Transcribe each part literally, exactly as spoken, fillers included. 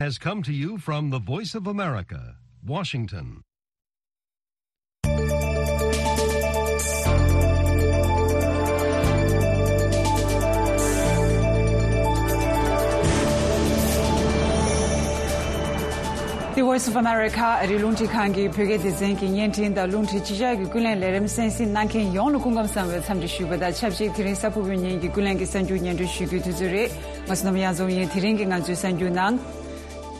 has come to you from the Voice of America, Washington. The Voice of America ཨ་རིའི་རླུང་འཕྲིན་ཁང་གི་བོད་སྐད་སྡེ་ཚན་གྱི་བརྙན་འཕྲིན་དང་རླུང་འཕྲིན་སྤྱི་ཁྱབ་ཀྱི་ཀུན་གླེང་ལས་རིམ་གསན་གཟིགས་གནང་མཁན་ཡོངས་ལ་སྐུ་ཁམས་བཟང་བའི་འཚམས་འདྲི་ཞུ་བ་དང་ཆབས་ཅིག་དེ་རིང་གཟའ་ཕུར་བུའི་ཉིན་གྱི་ཀུན་གླེང་གི་གསར་འགྱུར་སྙན་སྒྲོན་ཞུ་རྒྱུའི་དུས་ཚོད་རེད། ང་བསོད་ནམས་གཡང་འཛོམས་ཡིན། དེ་རིང་གི་ང་ཚོའི་གསར་འགྱུར་ནང་།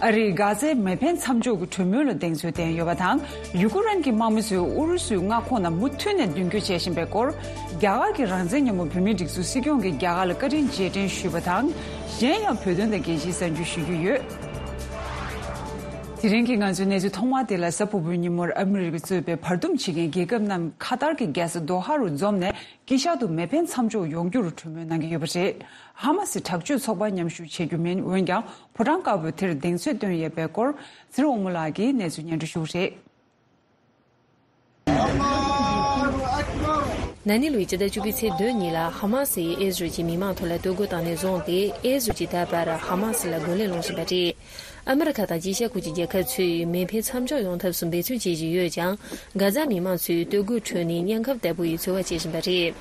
ཨ་རིས་གྷ་ཛའི་མེ་འཕེན་མཚམས་འཇོག་གི་གྲོས་མོལ་ལ་གདེང་ཚོད་བསྟན་ཡོད་པ་དང་། ཡུ་ཀེ་རེན་གྱི་དམག་མི་ཚོས་ཨུ་རུ་སུའི་མངའ་ཁོངས་ནང་མུ་མཐུད་ནས་མདུན་སྐྱོད་བྱེད་བཞིན་པའི་སྐོར། རྒྱ་གར་གྱི་རང་བཙན་མཉམ་པོ་བོད་མིའི་སྒྲིག་འཛུགས་སྲིད་སྐྱོང་གིས་རྒྱ་གར་ལ་བཀའ་དྲིན་རྗེས་དྲན་ཞུས་པ་དང་། གཞན་ཡང་བོད་དོན་དང་རྒྱལ་སྤྱིའི་གསར་འགྱུར་ཞུ་རྒྱུ་ཡོད། དེ་རིང་གི་ང་ཚོའི་གནས་ཚུལ་ཐོག་མ་དེ་ལ་གཟའ་ཕུར་བུའི་ཉིན་མོར་ཨ་མི་རི་ཀས་གཙོས་པའི་བར་འདུམ་བྱེད་མཁན་རྒྱལ་ཁབ་རྣམས་ཁ་ཏར་གྱི་རྒྱལ་ས་དོ་ཧ་རུ་འཛོམས་ནས། དཀྱིལ་ཤར་དུ་མེ་འཕེན་མཚམས་འཇོག་ཡོང་རྒྱུར་གྲོས་མོལ་གནང་གི་ཡོད་པ་རེད། ཧ་མ་སི་དྲག་སྤྱོད་ཚོགས་པ་མཉམ་ཞུགས་བྱེད་རྒྱུ་མིན། འོན་ཀྱང་ཕོ་བྲང་དཀར་པོའི་དེར་གདེང་ཚོད་བཏོན་ཡོད་པའི་སྐོར། ཚེ་རིང་དབང་མོ་ལགས་ཀྱིས་གནས་ཚུལ་སྙན་སྒྲོན་ཞུ་གི་རེད། ན་ནིང་ལོའི་ཕྱི་ཟླ་བཅུ་པའི་ཚེས་བདུན་ཉིན་ལ་ཧ་མ་སིས་ཨེ་ཟི་རལ་གྱི་མི་མང་ཐོག་ལ་གཏོར་རྒོལ་བཏང་ནས་བཟུང་སྟེ། ཨེ་ཟི་རལ་གྱིས་ད་བར་ཧ་མ་སི་ལ་རྒོལ་ལན་སློང་བཞིན་པ་རེད། ཨ་མི་རི་ཁ་དང་དཀྱིལ་ཤར་ཁུལ་གྱི་རྒྱལ་ཁབ་ཚོས་མེ་འཕེན་མཚམས་འཇོག་ཡོང་ཐབས་སུ་འབད་བརྩོན་བྱེད་བཞིན་ཡོད་ཀྱང་། གྷ་ཛ་མི་མང་ཚོས་སྟོད་གོས་ཁྲོད་ནས་གཉན་ཁབ་ལྟ་བུ་ཡི་འཚོ་བ་བྱེད་བཞིན་པ་རེད།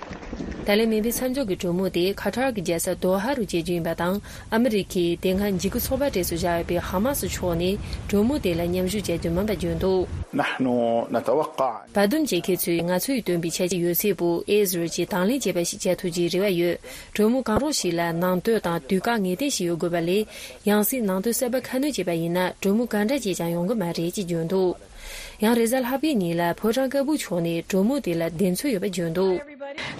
ད་ལན་མེ་འཕེན་མཚམས་འཇོག་གི་གྲོས་མོལ་དེ་ཁ་ཐར་གྱི་རྒྱལ་ས་དོ་ཧ་རུ་བྱེད་རྒྱུ་ཡིན་པ་དང་། ཨ་མི་རི་ཁས་དེ་སྔ་འཇིགས་སྐུལ་ཚོགས་པ་གྲས་སུ་བཞག་ཡོད་པའི་ཧ་མ་སི་ཕྱོགས་ནས་གྲོས་མོལ་དེ་ལ་མཉམ་ཞུགས་བྱ་རྒྱུ་མིན་པ་བརྗོད་འདུག نحن نتوقع བར་འདུམ་བྱེད་མཁན་ཚོས་ང་ཚོས་བཏོན་པའི་འཆར་གཞི་ཡོད་ཚད་པོ་ཨེ་ཟི་རལ་གྱིས་དང་ལེན་བྱེད་པ་ཞིག་བྱ་ཐུབ་རྒྱུའི་རེ་བ་ཡོད། གྲོས་མོལ་གང་རུང་ཞིག་ལ་ནང་དོན་དང་དུས་བཀག་ངེས་གཏན་ཞིག་ཡོད་དགོས་པ་ལས། ཡང་སྲིད་ནང་དོན་གསར་པ་ཁ་སྣོན་བྱས་པ་ཡིན་ན། གྲོས་མོལ་ག་འདྲ་བྱས་ཀྱང་ཡོང་གི་མ་རེད་ཅེས་བརྗོད་འདུག་ཡང་རེས་གཟའ་ལྷག་པའི་ཉིན་ལ་ཕོ་བྲང་དཀར་པོའི་ཕྱོགས་ནས་གྲོས་མོལ་དེ་ལ་གདེང་ཚོད་ཡོད་པ་བརྗོད་འདུག་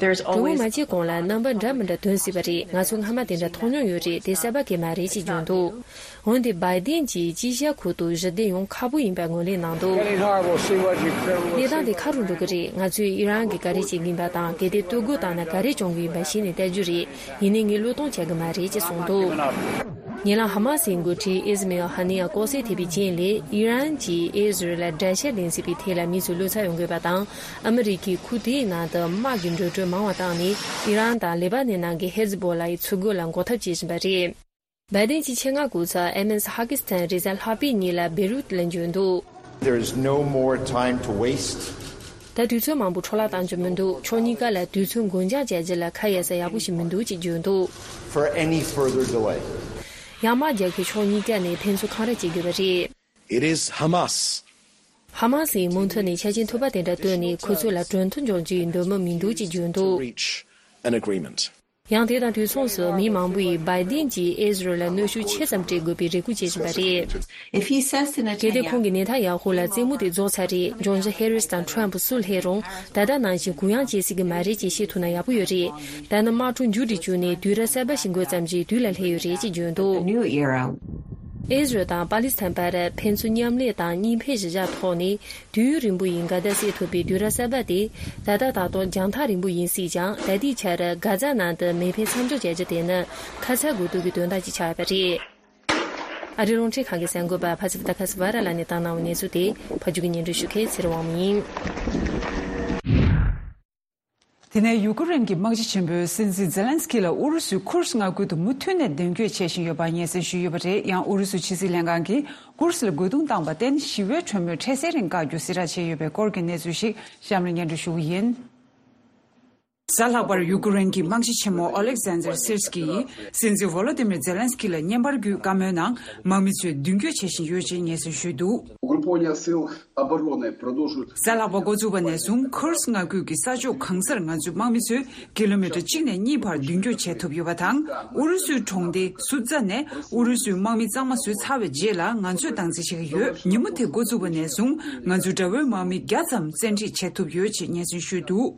གྲོས་མོལ་མ་བྱས་གོང་ལ་རྣམ་པ་འདྲ་མི་འདྲ་ཐོན་སྲིད་པ་རེད། ང་ཚོ་སྔ་མ་དེ་འདྲ་མཐོང་མྱོང་ཡོད་རེད། དེ་གསར་པ་གང་ཡང་མ་རེད་ཅེས་བརྗོད་འདུག་འོན་ཏེ་བའི་ཏིན་གྱིས་དཀྱིལ་ཤར་ཁུལ་དུ་གཞི་རྟེན་ཡོང་ཁག་པོ་ཡིན་པར་ངོས་ལེན་གནང་འདུག Getting horrible. See what you གནས་སྟངས་དེ་ཁ་རུ་འགྲོ་གི་རེད། ང་ཚོས་ཨི་རན་གྱིས་ག་རེ་བྱེད་ཀྱི་ཡིན་པ་དང་། གལ་ཏེ་གཏོར་རྒོལ་བཏང་ན་ག་རེ་བྱུང་གི་ཡིན་པ་གཞི་ནས་བལྟ་རྒྱུ་རེད། ཡིན་ནའི་ངས་བློས་གཏོང་བྱ་གི་མ་རེད་ཅེས་གསུངས་འདུག་ཉེ་ལམ་ཧ་མ་སིའི་འགོ་ཁྲིད་ཨི་སི་མེལ་ཧ་ནི་ཡ་ལྐོག་བསད་ཐེབས་པའི་རྐྱེན་ལས། ཨི་རན་གྱིས་ཨི་ཟི་རལ་ལ་དགྲ་ཤ་ལེན་སྲིད་པའི་ཐད་ལ་མི་ཚོས་བློ་འཚབ་ཡོང་དགོས་པ་དང་། ཨ་མི་རི་ཀས་ཁུལ་དེའི་ནང་དུ་དམག་གི་འགྲོ་གྲོན་མང་བ་བཏང་ནས། ཨི་རན་དང་ལེ་པ་ནན་ནང་གི་ཧེ་ཛི་བྷོ་ལ་ཡི་ཚུར་རྒོལ་ལ་འགོག་ཐབས་བྱེད་བཞིན་པ་རེད། བའི་ཏིན་གྱིས་ཆེད་མངགས་སྐུ་ཚབ་ཨེམ་ཨེས་ཧ་ཀིས་ཐན་རེས་གཟའ་ལྷག་པའི་ཉིན་ལ་བེ་རུད་ལ་འབྱོར་འདུག There is no more time to waste. ད་དུས་ཚོད་མང་པོ་འཕྲོ་བརླག་གཏང་རྒྱུ་མི་འདུག་ཕྱོགས་གཉིས་ཀ་ལ་དུས་ཚོད་འགོར་འགྱངས་བྱ་རྒྱུ་ལ་ཁ་གཡར་ས་ཡག་པོ་ཞིག་མི་འདུག་ཅེས་བརྗོད་འདུག For any further delay. ཡང་དམག་རྒྱག་མཁན་ཕྱོགས་གཉིས་ཀ་ནས་ཕན་ཚུན་འཁང་ར་བྱེད་དགོས་པ་རེད། It is Hamas. ཧ་མ་སིའི་མུ་མཐུད་ནས་ཆ་རྐྱེན་ཐུབ་པ་དེ་འདྲ་བཏོན་ནས་ཁོ་ཚོ་ལ་གྲོས་མཐུན་འཇོག་རྒྱུའི་འདོད་མོས་མི་འདུག་ཅེས་བརྗོད་འདུག Reach an agreement. ཡང་དེ་དང་དུས་མཚུངས་སུ་མི་མང་པོ་ཡིས་བའི་ཏིན་གྱིས་ཨི་ཟི་རལ་ལ་གནོན་ཤུགས་ཆེ་ཙམ་སྤྲད་དགོས་པའི་རེ་སྐུལ་བྱེད་བཞིན་པ་རེད། If he says to གལ་ཏེ་Netanyahu, ཁོང་གིས་ནེ་ཐན་ཡ་ཧུ་ལ་རྩེད་མོ་དེ་རྫོགས་ཚར་རེད། འབྱུང་འགྱུར་ཧེ་རིས་དང་ཁྲོམ་སུ་སླེབས་རུང་། ད་ལྟ་ནང་བཞིན་གུ་ཡངས་བྱེད་སྲིད་ཀྱི་མ་རེད་ཅེས་བཤད་ཐུབ་ན་ཡག་པོ་ཡོད་རེད། ད་ནི་དམག་འཁྲུག་མཇུག་སྒྲིལ་བཅུག་ནས་དུས་རབས་གསར་པ་ཞིག་འགོ་བརྩམས་རྗེས་དུས་ལ་སླེབས་ཡོད་རེད་ཅེས་བརྗོད་འདུག New era. ཨི་ཟི་རལ་དང་པ་ལི་སི་ཐན་བར་ཕན་ཚུན་མཉམ་ལས་དང་གཉིས་ཕན་གཞི་བཞག་ཐོག་ནས། དུས་ཡུན་རིང་པོ་ཡི་འགལ་ཟླ་སེལ་ཐུབ་པའི་དུས་རབས་གསར་པ་དེ། ད་ལྟ་ད་དུང་རྒྱང་ཐག་རིང་པོ་ཡིན་སྲིད་ཀྱང་། ད་ལྟའི་ཆར་གྷ་ཛ་ནང་དུ་མེ་འཕེན་མཚམས་འཇོག་བྱ་རྒྱུ་དེ་ནི་ཁ་ཚ་དགོས་གཏུགས་ཀྱི་དོན་དག་ཅིག་ཆགས་ཡོད་པ་རེད། ཨ་རིའི་རླུང་འཕྲིན་ཁང་གི་གསར་འགོད་པ་ཕ་སི་ཕི་ཏ་ཁ་སི་ཝ་ར་ལགས་ནས་བཏང་གནང་བའི་གནས་ཚུལ་དེ་ཕབ་སྒྱུར་གྱིས་སྙན་སྒྲོན་ཞུ་མཁན་ཚེ་རིང་དབང་མོ་ཡིན། དེ་ནས་ཡུ་ཀེ་རེན་གྱི་དམག་སྤྱི་ཆེན་པོས་སྲིད་འཛིན་ཛེ་ལན་སི་ཀི་ལ་ཨུ་རུ་སུས་ཁུར་སི་མངའ་ཁུལ་དུ་མུ་མཐུད་ནས་མདུན་སྐྱོད་བྱེད་བཞིན་ཡོད་པ་སྙན་སེང་ཞུས་ཡོད་པ་རེད། ཡང་ཨུ་རུ་སུའི་ཕྱི་སྲིད་ལྷན་ཁང་གིས་ཁུར་སི་ལ་རྒོལ་རྡུང་བཏང་བར་བརྟེན་ཞི་བའི་གྲོས་མོལ་འཕྲལ་སེལ་རིང་བཀག་རྒྱུ་གསལ་བསྒྲགས་བྱས་ཡོད་པའི་སྐོར་གྱི་གནས་ཚུལ་ཞིག་གཤམ་ལ་སྙན་སྒྲོན་ཞུ་གི་ཡིན། གཟའ་ལྷག་པར་ཡུ་ཀེ་རེན་གྱི་དམག་སྤྱི་ཆེན་མོ་ཨོ་ལེག་ཛན་ཛར་སིར་སི་ཀི་ཡིས་སྲིད་འཛིན་ཝོ་ལོ་ཏི་མིར་ཛེ་ལན་སི་ཀི་ལ་བརྙན་པར་བརྒྱུད་བཀའ་མོལ་ནང་། དམག་མི་ཚོས་མདུན་སྐྱོད་བྱེད་བཞིན་ཡོད་ཅེས་སྙན་སེང་ཞུས་འདུག Укрепление сил обороны продолжит. གཟའ་ལྷག་པ་འགོ་བཙུགས་པ་ནས་བཟུང་ཁུར་སི་མངའ་ཁུལ་གྱི་ས་ཕྱོགས་གང་སར་ང་ཚོའི་དམག་མི་ཚོས་ཀི་ལོ་མི་ཊར་གཅིག་ནས་གཉིས་བར་མདུན་སྐྱོད་བྱེད་ཐུབ་ཡོད་པ་དང་། ཨུ་རུ་སུའི་གྲོང་སྡེ་སུ་ཛ་ནས་ཨུ་རུ་སུའི་དམག་མི་གཙང་མ་བཟོས་ཚར་བའི་རྗེས་ལ་ང་ཚོས་སྟངས་འཛིན་བྱེད་ཀྱི་ཡོད། ཉིན་མོ་དེ་འགོ་བཙུགས་པ་ནས་བཟུང་ང་ཚོའི་དགྲ་བོའི་དམག་མི་བརྒྱ་ཙམ་བཙན་ཁྲིད་བྱེད་ཐུབ་ཡོད་ཅེས་སྙན་སེང་ཞུས་འདུག་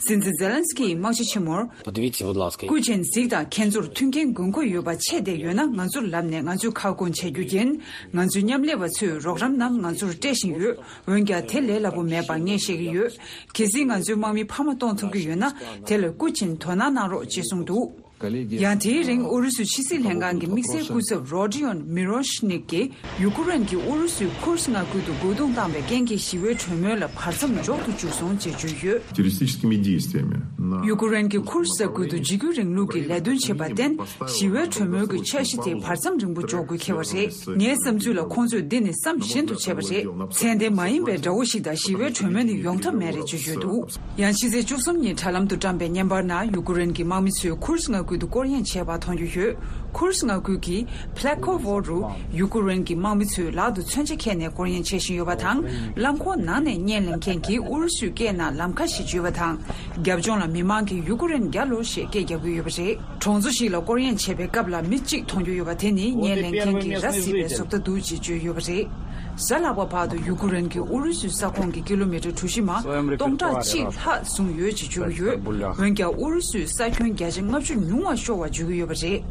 སྲིད་འཛིན་ཛེ་ལན་སི་ཀི་ཡིས་དམག་སྤྱི་ཆེན་མོར། Подивіться, будь ласка. སྐུ་མཁྱེན་གཟིགས་དང་། ཁྱེད་ཚོར་མཐུན་རྐྱེན་དགོས་མཁོ་ཡོད་པ་ཆེ་བསྡད་ཡོད་ན། ང་ཚོར་ལབ་ནས་ང་ཚོས་ཁ་སྐོང་བྱེད་རྒྱུ་ཡིན། ང་ཚོའི་མཉམ་ལས་པ་ཚོས་རོགས་རམ་རྣམས་ང་ཚོར་སྤྲད་བཞིན་ཡོད། འོན་ཀྱང་དེ་ལས་སླ་པོ་མེད་པ་ངས་ཤེས་ཀྱི་ཡོད། གལ་སྲིད་ང་ཚོའི་དམག་མི་འཕར་མ་གཏོང་ཐུབ་ཀྱི་ཡོད་ན། དེ་ལ་སྐུ་མཁྱེན་དོ་སྣང་གནང་རོགས་ཅེས་གསུངས་འདུག་ཡང་དེའི་རིང་ཨུ་རུ་སུའི་ཕྱི་སྲིད་ལྷན་ཁང་གི་དམིགས་བསལ་སྐུ་ཚབ་རོ་ཌི་ཡོན་མི་རོ་ཤི་ནིག་གིས། ཡུ་ཀེ་རེན་གྱིས་ཨུ་རུ་སུའི་ཁུར་སི་མངའ་ཁུལ་དུ་རྒོལ་རྡུང་བཏང་བའི་རྐྱེན་གྱིས་ཞི་བའི་གྲོས་མོལ་ལ་བར་མཚམས་འཇོག་ཏུ་བཅུག་སོང་ཅེས་བརྗོད་ཡོད། террористическими действиями на ཡུ་ཀེ་རེན་གྱིས་ཁུར་སི་ས་ཁུལ་དུ་འཇིགས་སྐུལ་རིང་ལུགས་ཀྱི་ལས་དོན་བྱས་པར་བརྟེན། ཞི་བའི་གྲོས་མོལ་གྱི་འཆར་གཞི་དེ་བར་མཚམས་རིང་པོ་འཇོག་དགོས་འཁེལ་བ་རེད། ངའི་བསམ་ཚུལ་ལ་ཁོང་ཚོས་འདི་ནི་བསམ་བཞིན་དུ་བྱས་པ་རེད། ཚད་ལྡན་མ་ཡིན་པའི་དགྲ་བོ་ཞིག་དང་ཞི་བའི་གྲོས་མོལ་ནི་ཡོང་ཐབས་མེད་རེད་ཅེས་བརྗོད་འདུག་ཡང་ཕྱི་ཚེས་བཅུ་གསུམ་ཉིན་དྲ་ལམ་དུ་བཀྲམ་པའི་བརྙན་པར་ནང་ཡུ་ཀེ་རེན་གྱི་དམག་མི་ཚོས་ཁུར་སི་མངའ་ཁུལ་དུ་སྐོར་གཡེང་བྱས་པ་མཐོང་རྒྱུ་ཡོད། ཁུར་སི་མངའ་ཁུལ་གྱི་ཕླེ་ཁོ་ཝོ་རུ་ཡུ་ཀེ་རེན་གྱི་དམག་མི་ཚོས་ལག་ཏུ་མཚོན་ཆ་འཁྱེར་ནས་སྐོར་གཡེང་བྱེད་བཞིན་ཡོད་པ་དང་། རླངས་འཁོར་ནང་ནས་བརྙན་ལེན་མཁན་གྱིས་ཨུ་རུ་སུའི་སྐད་ནང་ལམ་ཁ་ཞེས་བརྗོད་པ་དང་། རྒྱབ་ལྗོངས་ལ་མི་མང་གིས་ཡུ་ཀེ་རེན་རྒྱལ་ལོ་ཞེས་སྐད་རྒྱག་གི་ཡོད་པ་རེད། གྲོང་ཚོ་ཞིག་ལ་སྐོར་གཡེང་བྱེད་པའི་སྐབས་ལ་མི་གཅིག་མཐོང་རྒྱུ་ཡོད་པ་དེ་ནི་བརྙན་ལེན་མཁན་གྱིས་ར་བཟི་བའི་བཟོ་ལྟ་འདུག་ཅེས་བརྗོད་ཡོད་པ་རེད། གཟའ་ལྷག་པ་བར་དུ་ཡུ་ཀེ་རེན་གྱིས་ཨུ་རུ་སུའི་ས་ཁོངས་ཀྱི་ཀི་ལོ་མི་ཊར་གྲུ་བཞི་མ་སྟོང་ཕྲག་གཅིག་ལྷག་བཟུང་ཡོད་ཅེས་བརྗོད་ཀྱི་ཡོད། འོན་ཀྱང་ཨུ་རུ་སུས་ས་ཁྱོན་བརྒྱ་ཆ་ལྔ་བཅུ་ཉུང་བ་ཤོར་བ་བརྗོད་ཀྱི་ཡོད་པ་རེད།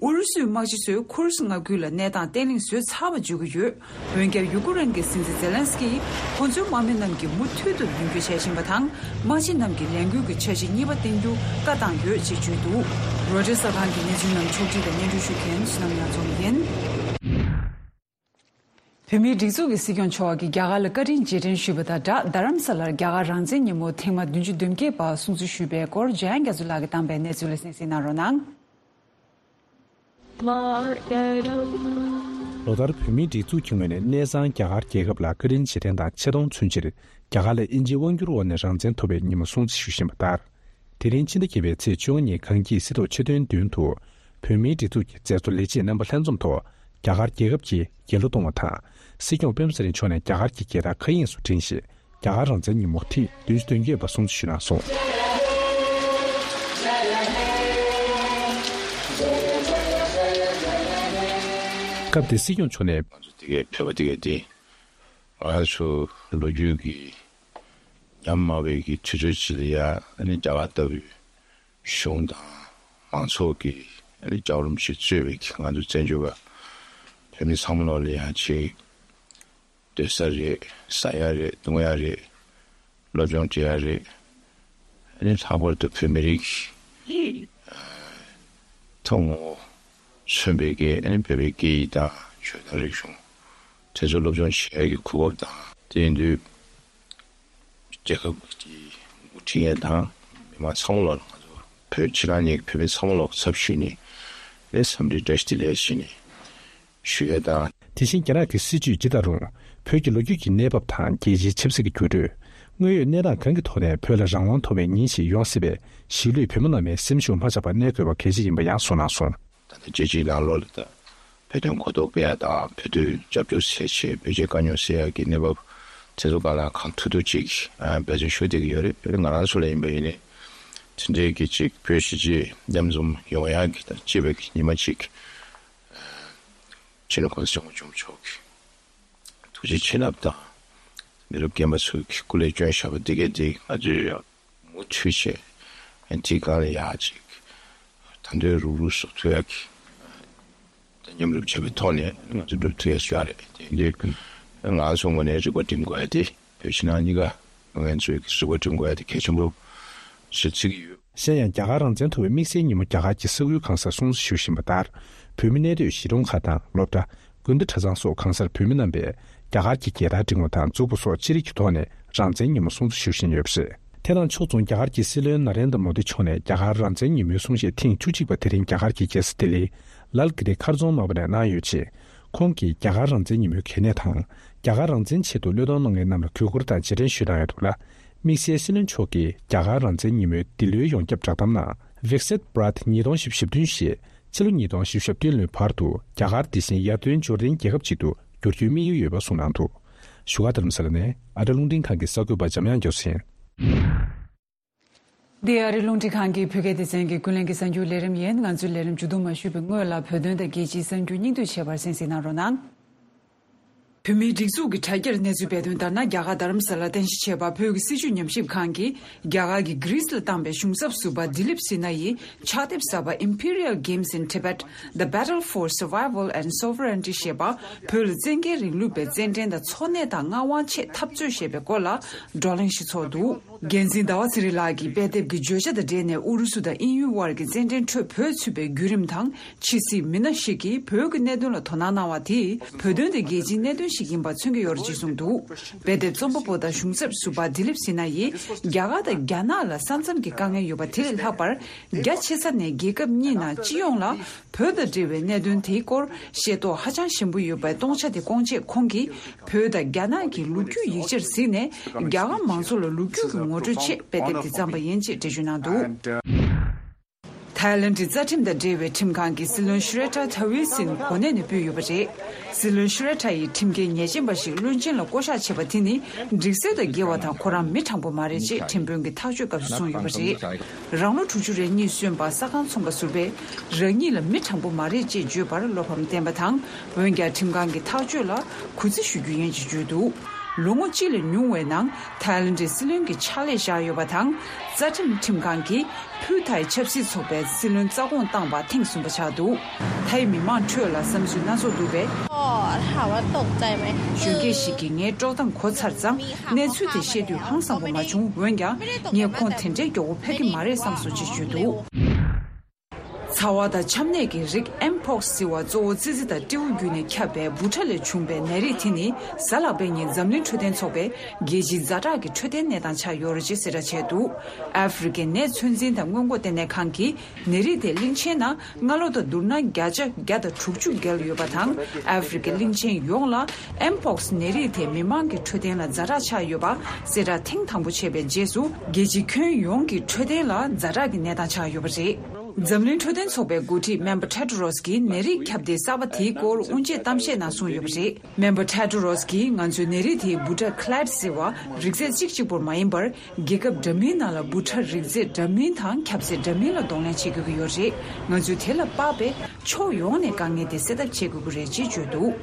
ཨུ་རུ་སུའི་དམག་སྤྱི་ཚོས་ཁུར་སི་མངའ་ཁུལ་ལ་གནས་སྟངས་བརྟན་ལྷིང་བཟོས་ཚར་བ་བརྗོད་ཀྱི་ཡོད། འོན་ཀྱང་ཡུ་ཀེ་རེན་གྱི་སྲིད་འཛིན་ཛེ་ལན་སི་ཀིས་ཁོ་ཚོའི་དམག་མི་རྣམས་ཀྱིས་མུ་མཐུད་དུ་མདུན་སྐྱོད་བྱེད་བཞིན་པ་དང་། དམག་སྤྱི་རྣམས་ཀྱིས་ལས་འགུལ་གྱི་འཆར་གཞི་གཉིས་པ་བཏིང་རྒྱུ་བཀའ་བཏང་ཡོད་ཅེས་བརྗོད་འདུག་རོའི་ཊར་གསར་ཁང་གི་གནས་ཚུལ་རྣམས་ཕྱོགས་སྒྲིག་དང་སྙན་སྒྲོན་ཞུ་མཁན་བསོད་ནམས་ཉང་ཚོགས་ཡིན། བོད་མིའི་སྒྲིག་འཛུགས་ཀྱི་སྲིད་སྐྱོང་མཆོག་གིས་རྒྱ་གར་ལ་བཀའ་དྲིན་རྗེས་དྲན་ཞུས་པ་དང་སྦྲགས། རྡ་རམ་ས་ལར་རྒྱ་གར་རང་བཙན་ཉིན་མོ་ཐེངས་མ་བདུན་ཅུ་དོན་བརྒྱད་པ་སྲུང་བརྩི་ཞུས་པའི་སྐོར་འཇམ་དབྱངས་རྒྱ་མཚོ་ལགས་ཀྱིས་བཏང་པའི་གནས་ཚུལ་ལ་གསན་གཟིགས་གནང་རོགས་གནང་། ལོ་ལྟར་བོད་མིའི་སྒྲིག་འཛུགས་ཀྱི་ངོས་ནས་གནས་ཚང་རྒྱ་གར་རྒྱལ་ཁབ་ལ་བཀའ་དྲིན་རྗེས་དྲན་དང་ཆེ་མཐོང་མཚོན་ཕྱིར། རྒྱ་གར་ལ་དབྱིན་ཇིའི་དབང་བསྒྱུར་འོག་ནས་རང་བཙན་ཐོབ་པའི་ཉིན་མོ་སྲུང་བརྩི་ཞུ་བཞིན་པ་ལྟར། དེ་རིང་ཕྱི་ཟླ་བརྒྱད་པའི་ཚེས་བཅོ་ལྔ་ཉིན་གངས་སྐྱིད་སྲིད་ཐོག་ཆེད་དོན་མདུན་དུ། བོད་མིའི་སྒྲིག་འཛུགས་ཀྱི་མཛད་གཙོ་ལས་བྱེད་རྣམ་པ་ལྷན་འཛོམས་ཐོག་རྒྱ་གར་རྒྱལ་ཁབ་ཀྱིས་རྒྱལ་གླུ་གཏོང་བ་དང་། སྲིད་སྐྱོང་སྤེན་པ་ཚེ་རིང་མཆོག་ནས་རྒྱ་གར་གྱི་རྒྱལ་དར་མཁའ་དབྱིངས་སུ་བསྒྲེངས་ཤིང་། རྒྱ་གར་རང་བཙན་ཉིན་མོ་ཐེངས་བདུན་ཅུ་དོན་བརྒྱད་པ་སྲུང་བརྩི་ཞུས་གནང་སོང་། སྐབས་དེར་སྲིད་སྐྱོང་མཆོག་ནས། ང་ཚོ་དེ་གའི་བོད་པ་དེ་གའི་དེ། ང་ཚོ་ལོ་རྒྱུས་ཀྱི་ཉམས་དམའ་བའི་གི་དུས་ཚོད་ཅིག་ལ་ཡ་ཨ་ནི་རྒྱ་གར་ལྟ་བུའི་གཞུང་དང་མང་ཚོགས་ཀྱི་ཨ་ནི་ལྕགས་རོམ་ཞིག་གཙོས་པའི་གི་ང་ཚོ་བཙན་བྱོལ་བ་བོད་མི་ཚང་མ་ལོག་ལ་ཡ་ཅིག་སྡོད་ས་རེད། ཟ་ཡ་རེད། འཐུང་ཡ་རེད། སློབ་སྦྱོང་བྱེད་ཡ་རེད། ཨ་ནི་ལྷག་པར་དུ་བོད་མི་རིགས་ཐུན་མོང་མཚོན་པའི་གི་ཨ་ནི་བོད་པའི་སྐད་ཡིག་དང་ཆོས་དང་རིག་གཞུང་དེ་ཚོ་སློབ་སྦྱོང་བྱེད་ཡ་གི་གོ་སྐབས་དང་། དེ་ཡིན་དུས་རྒྱལ་ཁབ་ཀྱི་འགོ་ཁྲིད་ཡ་དང་མི་མང་ཚང་མ་ལོག་ང་ཚོ་བོད་ཕྱི་ནང་གཉིས་ཀྱི་བོད་མི་ཚང་མ་ལོག་ཚབ་ཞུས་ནས་ལས་འཚམས་འདྲི་བཀྲ་ཤིས་བདེ་ལེགས་ཞུས་ནས་ཞུ་ཡ་དང་། དེ་བཞིན་རྒྱ་ནག་གི་སྲིད་བྱུས་ཇི་ལྟར་རུང་། བོད་ཀྱི་ལོ་རྒྱུས་ཀྱི་གནས་བབ་དང་རྒྱལ་སྤྱིའི་ཆབ་སྲིད་ཀྱི་འགྱུར་འགྲོས། དངོས་ཡོད་གནས་སྟངས་གང་གི་ཐོག་ནས་བོད་ལ་རང་དབང་ཐོབ་པའི་ཉིན་ཞིག་ཡོང་སྲིད་པས་གཞིས་ལུས་བོད་མི་རྣམས་ནས་སེམས་ཤུགས་མ་ཆག་པར་གནས་དགོས་པ་གལ་ཆེ་ཡིན་པ་ཡང་གསུངས་གནང་སོང་། ད་ལྟ་རྒྱལ་སྤྱིའི་ནང་ལོགས་ལ་ད་བོད་དོན་གོ་རྟོགས་སྤེལ་ཡ་དང་བོད་དོན་རྒྱབ་སྐྱོར་བྱེད་ཆེད་བོད་རྒྱའི་དཀའ་རྙོག་སེལ་ཡ་གི་གནས་བབ་དེ་ཚོ་སྒང་ལ་གང་ཐུབ་ཐུབ་ཅིག་འབད་བརྩོན་ཞུ་བསྡད་ཀྱི་ཡོད་རེད། ང་རང་ཚོ་ལ་ཡིན་པ་ཡིན་ནའི་དེ་འདྲའི་གི་ཅིག་བོད་གཞིས་བྱེས་མཉམ་འཛོམས་ཡོང་ཡ་གི་ད་སྤྱི་པའི་གི་ཉི་མ་ཅིག་སྤྱི་ནོར་གོང་ས་སྐྱབས་མགོན་ཆེན་པོ་མཆོག་གི་ཐུགས་རྗེ་བྱིན་རླབས་དང་། མི་རབས་རྒན་པ་ཚོས་ཀྱི་སྐུ་ལས་བསྐྱོན་བཞག་པ་འདི་གས་འདི་ང་ཚོས་ཡང་མུ་མཐུད་བྱས། དེའི་སྒང་ལ་ཡག་ཅིག་ད་དུང་རུག་རུག་བཟོ་ཐུབ་ཡག་གི་ད་མཉམ་རུབ་བྱས་པའི་ཐོག་ནས་ང་ཚོ་སྒྲུབ་ཐུབ་ཡག་བཟོ་ཡག་རེད། དེ་འདི་ང་ཚོ་ངོས་ནས་རིག་པ་སྒྲིམ་དགོས་ཡག་དེ་བོད་ཕྱི་ནང་གཉིས་ཀ་ང་ཚོས་ཀྱི་རིག་པ་སྒྲིམ་དགོས་ཡག་དེ་གལ་ཆེན་པོ་ཞིག་བརྩི་གི་ཡོད། གཞན་ཡང་རྒྱ་གར་རང་བཙན་ཐོབ་པའི་དམིགས་བསལ་ཉིན་མོ་རྒྱ་གར་གྱི་ས་ཁུལ་གང་སར་སྲུང་བརྩི་ཞུ་བཞིན་པ་ལྟར། བོད་མི་གནས་སྡོད་གཞིས་གྲོང་ཁག་དང་སློབ་གྲྭ། དགོན་སྡེ་གྲྭ་ཚང་སོགས་གང་སར་བོད་མི་རྣམ་པས་རྒྱ་གར་གྱི་རྒྱལ་དར་བསྒྲེངས་པ་དང་མཛུབ་གུ་སོགས་ཅི་རིགས་ཀྱི་ཐོག་ནས་རང་བཙན་ཉིན་མོ་སྲུང་བརྩི་ཞུ་བཞིན་ཡོད་པ་རེད། དེ་དང་ཕྱོགས་མཚུངས་རྒྱ་གར་གྱི་སྲིད་བློན་ན་རེན་དྲ་མོ་དི་མཆོག་ནས་རྒྱ་གར་རང་བཙན་ཉིན་མོའི་གསུང་བཤད་ཐེངས་བཅུ་གཅིག་པ་དེ་རིང་རྒྱ་གར་གྱི་རྒྱལ་ས་ལྡི་ལི། ལལ་གྷི་རི་མཁར་རྫོང་དམར་པོ་ནས་གནང་ཡོད་ཅིང་། ཁོང་གིས་རྒྱ་གར་རང་བཙན་ཉིན་མོའི་གལ་གནད་དང་། རྒྱ་གར་རང་བཙན་ཆེད་དུ་བློས་གཏོང་གནང་མཁན་རྣམས་ལ་གུས་བཀུར་དང་རྗེས་དྲན་ཞུས་གནང་ཡོད་འདུག་ལ། དམིགས་བསལ་སྲིད་བློན་མཆོག་གིས་རྒྱ་གར་རང་བཙན་ཉིན་མོའི་འདི་ལོའི་ཡོངས་ཁྱབ་བསྒྲགས་གཏམ་ནང་། Viksit Bharat ཉིས་སྟོང་བཞི་བཅུ་ཞེས། ཕྱི་ལོ་ཉིས་སྟོང་བཞི་བཅུ་ཞེ་བདུན་ལོའི་བར་དུ་རྒྱ་གར་འདི་བཞིན་ཡར་ཐོན་འབྱོར་ལྡན་རྒྱལ་ཁབ་ཅིག་ཏུ་འགྱུར་རྒྱུའི་དམིགས་ཡུལ་ཡོད་པ་གསུངས་གནང་འདུག་བཞུགས་སྒར་རྡ་རམ་ས་ལ་ནས་ཨ་རི་རླུང་འཕྲིན་ཁང་གི་གསར་འགོད་པ་འཇམ་དབྱངས་རྒྱ་མཚོ་ཡིན། འདི་ཨ་རི་རླུང་འཕྲིན་ཁང་གི་བོད་སྐད་སྡེ་ཚན་གྱི་ཀུན་གླེང་གི་གསར་འགྱུར་ལས་རིམ་ཡིན། ང་ཚོའི་ལས་རིམ་མཇུག་བསྡོམས་མ་ཞུས་པའི་སྔོན་ལ་བོད་དོན་དང་རྒྱལ་སྤྱིའི་གསར་འགྱུར་སྙིང་བསྡུས་བྱས་པར་གསན་གཟིགས་གནང་རོགས་གནང་། བོད་མིའི་སྒྲིག་འཛུགས་ཀྱི་དྲ་རྒྱར་གནས་ཚུལ་སྤེལ་དོན་ལྟར་ན། རྒྱ་གར་རྡ་རམ་ས་ལར་རྟེན་གཞི་བྱས་པ་བོད་ཀྱི་སྲིད་བྱུས་ཉམས་ཞིབ་ཁང་གིས་རྒྱ་གར་གྱིས་གྷི་རིས་ལ་བཏང་པའི་གཞུང་ཚབ་ཟུར་པ་དི་ལིབ་སི་ན་ཡི་ཕྱག་དེབ་གསར་པ་Imperial Games in Tibet, The Battle for Survival and Sovereignty ཞེས་པ་བོད་ལ་བཙན་རྒྱལ་རིང་ལུགས་པའི་བཙན་འདྲེན་དང་འཚོ་གནས་དང་མངའ་དབང་ཆེད་འཐབ་རྩོད་ཞེས་པའི་སྐོར་ལ་བགྲོ་གླེང་ཞིག་ཚོགས་འདུག་འགན་འཛིན་ཟླ་བ་ཚེ་རིང་ལགས་ཀྱིས་དཔེ་དེབ་ཀྱི་བརྗོད་བྱ་དང་འབྲེལ་ནས་ཨུ་རུ་སུ་དང་དབྱིན་ཡུལ་དབར་གྱི་རྩེད་འགྲན་ཁྲོད་བོད་ཚུད་པའི་བརྒྱུད་རིམ་དང་། ཕྱི་སྲིད་མི་སྣ་ཞིག་གིས་བོད་ཀྱི་གནད་དོན་ལ་དོ་སྣང་གནང་བ་དེས། བོད་དོན་དེ་རྒྱལ་སྤྱིའི་གནད་དོན་ཞིག་ཡིན་པ་མཚོན་གྱི་ཡོད་རེད་ཅེས་གསུངས་འདུག་དཔེ་དེབ་རྩོམ་པ་པོ་དང་གཞུང་ཚབ་ཟུར་པ་དི་ལིབ་སི་ན་ཡིས། རྒྱ་གར་དང་རྒྱ་ནག་ལ་ས་མཚམས་ཀྱི་དཀའ་ངལ་ཡོད་པ་དེ་ལས་ལྷག་པར། རྒྱ་ཆེ་ས་ནས་རྒྱལ་ཁབ་གཉིས་ནང་སྤྱི་ཡོངས་ལ། བོད་དང་འབྲེལ་བའི་གནད་དོན་དེའི་སྐོར་ཤེས་རྟོགས་ཧ་ཅང་ཞན་པོ་ཡོད་པའི་སྟོང་ཆ་དེ་སྐོང་ཆེད་ཁོང་གིས། བོད་དང་རྒྱ་ནག་གི་ལོ་རྒྱུས་ཡིག་ཆར་གཟིགས་ནས། རྒྱ་གར་མང་ཚོགས་ལ་ལོ་རྒྱུས་ཀྱི་ངོ་སྤྲོད་ཆེད་དཔེ་དེབ་དེ་བརྩམས་པ་ཡིན་ཅེས་འགྲེལ་བརྗོད་གནང་འདུག་ཐའི་ལེན་ཌི་རྩ་ཁྲིམས་དང་འབྲེལ་བའི་ཁྲིམས་ཁང་གིས་སྲིད་བློན་ཤུ་རེ་ཐ་ཐ་ཝི་སིན་གོ་གནས་ནས་ཕུད་ཡོད་པ་རེད། སྲིད་བློན་ཤུ་རེ་ཐ་ཡིས་ཁྲིམས་འགལ་ཉེས་ཅན་པ་ཞིག་བློན་ཆེན་ལ་བསྐོ་གཞག་བྱས་པ་དེ་ནི་སྒྲིག་སྲོལ་དང་འགལ་བ་དང་ཁོ་རང་མི་དྲང་པོ་མ་རེད་ཅེས་ཁྲིམས་དཔོན་གྱིས་ཐག་གཅོད་སྐབས་སུ་གསུངས་ཡོད་པ་རེད། རང་ལོ་དྲུག་ཅུ་རེ་གཉིས་སོན་པ་ས་ཁང་ཚོང་པ་ཟུར་པས་རང་ཉིད་ལ་མི་དྲང་པོ་མ་རེད་ཅེས་བརྗོད་པར་བློ་ཕམ་བསྟན་པ་དང་། འོན་ཀྱང་ཁྲིམས་ཁང་གི་ཐག་གཅོད་ལ་གུས་བརྩི་ཞུ་རྒྱུ་ཡིན་ཅེས་བརྗོད་འདུག་ལོ་ངོ་གཅིག་ལས་ཉུང་བའི་ནང་ཐའི་ལེན་ཌའི་སྲིད་བློན་གྱི་ཕྱག་ལས་བཞག་ཡོད་པ་དང་། རྩ་ཁྲིམས་ཁྲིམས་ཁང་གིས་ཕུའུ་ཐའི་ཆབ་སྲིད་ཚོགས་པའི་སྲིད་བློན་རྩ་དགོངས་བཏང་བ་ཐེངས་གསུམ་པ་ཆགས་འདུག་ཐའི་མི་མང་ཁྲོད་ལ་བསམ་ཚུལ་སྣ་ཚོགས་འདུག་པས། གཞོན་སྐྱེས་ཤིག་གིས་ངའི་དཀྲོག་གཏམ་གོ་ཚར་ཙང་། གནས་ཚུལ་དེ་བཤད་དུས་ཧང་སངས་པ་མ་བྱུང་། འོན་ཀྱང་ངས་ཁོང་དེ་འདྲའི་མགྱོགས་པོ་ཕེབས་ཀྱི་མ་རེད་བསམ་སོང་ཅེས་བརྗོད་འདུག་ཚ་བ་དང་ཆམ་ནད་ཀྱི་རིགས་ཨེམ་པོག་སི་ཟེར་བ་གཙོ་བོ་ཙི་ཙི་དང་སྤྲེའུ་བརྒྱུད་ནས་ཁྱབ་པའི་འབུ་ཕྲ་ལས་བྱུང་བའི་ནད་རིགས་དེ་ནི་གཟའ་ལྷག་པའི་ཉིན་འཛམ་གླིང་འཕྲོད་བསྟེན་ཚོགས་པས་རྒྱལ་སྤྱིའི་ཛ་དྲག་གི་འཕྲོད་བསྟེན་གནས་སྟངས་ཆགས་ཡོད་རེད་ཅེས་གསལ་བསྒྲགས་བྱས་འདུག་ཨ་ཧྥེ་རི་ཁའི་ནད་ཚོད་འཛིན་དང་སྔོན་འགོག་ལྟེ་གནས་ཁང་གིས་ནད་རིགས་དེ་གླིང་ཆེན་ནང་སྔ་ལོ་དང་བསྡུར་ན་བརྒྱ་ཆ་བརྒྱ་དང་དྲུག་ཅུ་བརྒལ་ཡོད་པ་དང་། ཨ་ཧྥེ་རི་ཁའི་གླིང་ཆེན་ཡོངས་ལ་ཨེམ་པོག་སི་ནད་རིགས་དེ་མི་མང་གི་འཕྲོད་བསྟེན་ལ་ཛ་དྲག་ཆགས་ཡོད་པ་གསལ་བསྒྲགས་ཐེངས་དང་པོ་བྱས་པའི་རྗེས་སུ། རྒྱལ་སྤྱིའི་ཁྱོན་ཡོངས་ཀྱི་འཕྲོད་བསྟེན་ལ་ཛ་དྲག་གི་གནས་སྟངས་ཆགས་ཡོད་པ་རེད། འཛམ་གླིང་འཕྲོད་བསྟེན་ཚོགས་པའི་འགོ་ཁྲིད་སྨན་པ་ཊེ་ཌོ་རོས་ཀྱིས་ནད་རིགས་ཁྱབ་གདལ་གསར་པ་དེའི་སྐོར་དབུ་འབྱེད་གཏམ་བཤད་ནང་གསུངས་ཡོད་པ་རེད། སྨན་པ་ཊེ་ཌོ་རོས་ཀྱིས་ང་ཚོའི་ནད་རིགས་དེའི་འབུ་ཕྲ་ཁི་ལེ་ཌི་ཟེར་བ་རིགས་རྫས་གཅིག་གཅིག་པུར་མ་ཡིན་པར། རྒྱལ་ཁབ་འདྲ་མིན་ནང་ལ་འབུ་ཕྲ་རིགས་རྫས་འདྲ་མིན་དང་ཁྱབ་ཚད་འདྲ་མིན་ལ་གདོང་ལེན་བྱེད་དགོས་ཀྱི་ཡོད་རེད། ང་ཚོས་དེ་ལ་དཔག་པའི་ཕྱོགས་ཡོངས་ནས་དཀའ་ངལ་དེ་སེལ་ཐབས་བྱེད་དགོས་ཀྱི་རེད་ཅེས་བརྗོད་འདུག་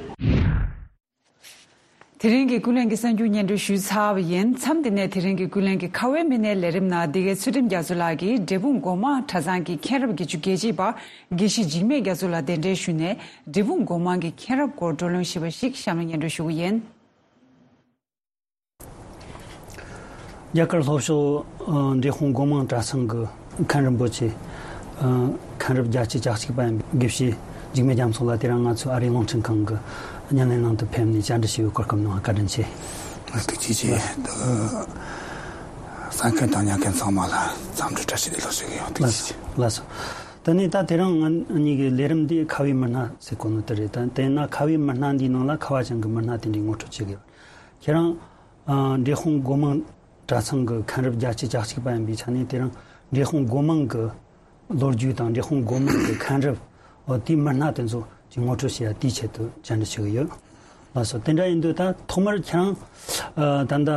དེ་རིང་གི་ཀུན་གླེང་གི་གསར་འགྱུར་སྙན་སྒྲོན་ཞུས་ཚར་བ་ཡིན། མཚམས་འདི་ནས་དེ་རིང་གི་ཀུན་གླེང་གི་ཁ་བའི་མི་སྣའི་ལས་རིམ་ནང་། འདི་གའི་ཚུལ་ཁྲིམས་རྒྱ་མཚོ་ལགས་ཀྱིས་འབྲས་སྤུངས་སྒོ་མང་གྲྭ་ཚང་གི་མཁན་རབས་བརྒྱད་ཅུ་གྱ་གཅིག་པ་དགེ་བཤེས་འཇིགས་མེད་རྒྱ་མཚོ་ལ་གདན་འདྲེན་ཞུས་ནས། འབྲས་སྤུངས་སྒོ་མང་གི་མཁན་རབས་སྐོར་བགྲོ་གླེང་ཞུས་པ་ཞིག་གཤམ་ལ་སྙན་སྒྲོན་ཞུ་གི་ཡིན། རྒྱ་གར་ལྷོ་ཕྱོགས་འབྲས་སྤུངས་སྒོ་མང་གྲྭ་ཚང་གི་མཁན་རིན་པོ་ཆེ། མཁན་རབས་བརྒྱད་ཅུ་གྱ་གཅིག་པ་ཡིན་པའི་དགེ་བཤེས་འཇིགས་མེད་རྒྱ་མཚོ་ལགས་དེ་རིང་ང་ཚོའི་ཨ་རིའི་རླུང་འཕྲིན་ཁང་གི་བརྙན་ལེན་ནང་དུ་ཕེབས་ནས་བཅར་འདྲི་ཞུ་བའི་གོ་སྐབས་གནང་བར་བཀའ་དྲིན་ཆེ། ཐུགས་རྗེ་ཆེ། གསན་མཁན་དང་ཉན་མཁན་ཚང་མ་ལ་འཚམས་འདྲི་བཀྲ་ཤིས་བདེ་ལེགས་ཞུ་གི་ཡོད། ཐུགས་རྗེ་ཆེ། ལགས་སོ། དེ་ནས་ད་དེ་རིང་ང་གཉིས་ཀྱི་ལས་རིམ་འདི་ཁ་བའི་མི་སྣ་ཟེར་གོ་ནོ་དེ་རེད། ད་དེས་ན་ཁ་བའི་མི་སྣ་འདིའི་ནང་ལ་ཁ་བ་ཅན་གྱི་མི་སྣ་དེ་འདྲའི་ངོ་སྤྲོད་བྱེད་དགོས། ཁྱེད་རང་། ཨ། འབྲས་སྤུངས་སྒོ་མང་གྲྭ་ཚང་གི་མཁན་རབས་བརྒྱད་ཅུ་གྱ་གཅིག་པ་ཡིན་པའི་ཆ་ནས། དེ་རིང་འབྲས་སྤུངས་སྒོ་མང་གི་ལོ་རྒྱུས་དང་། འབྲས་སྤུངས་སྒོ་མང་གི་མཁན་རབས། འོ། དེའི་མི་སྣ་དེ་ཚོ་ཅིག་ངོ་སྤྲོད་བྱེད་ཡ་དེའི་ཆེད་དུ་བཅར་འདྲི་ཞུ་གི་ཡོད། ལགས་སོ། དེ་འདྲ་ཡིན་དུས་ད་ཐོག་མར་ཁྱེད་རང་། ཨ། ད་ལྟ།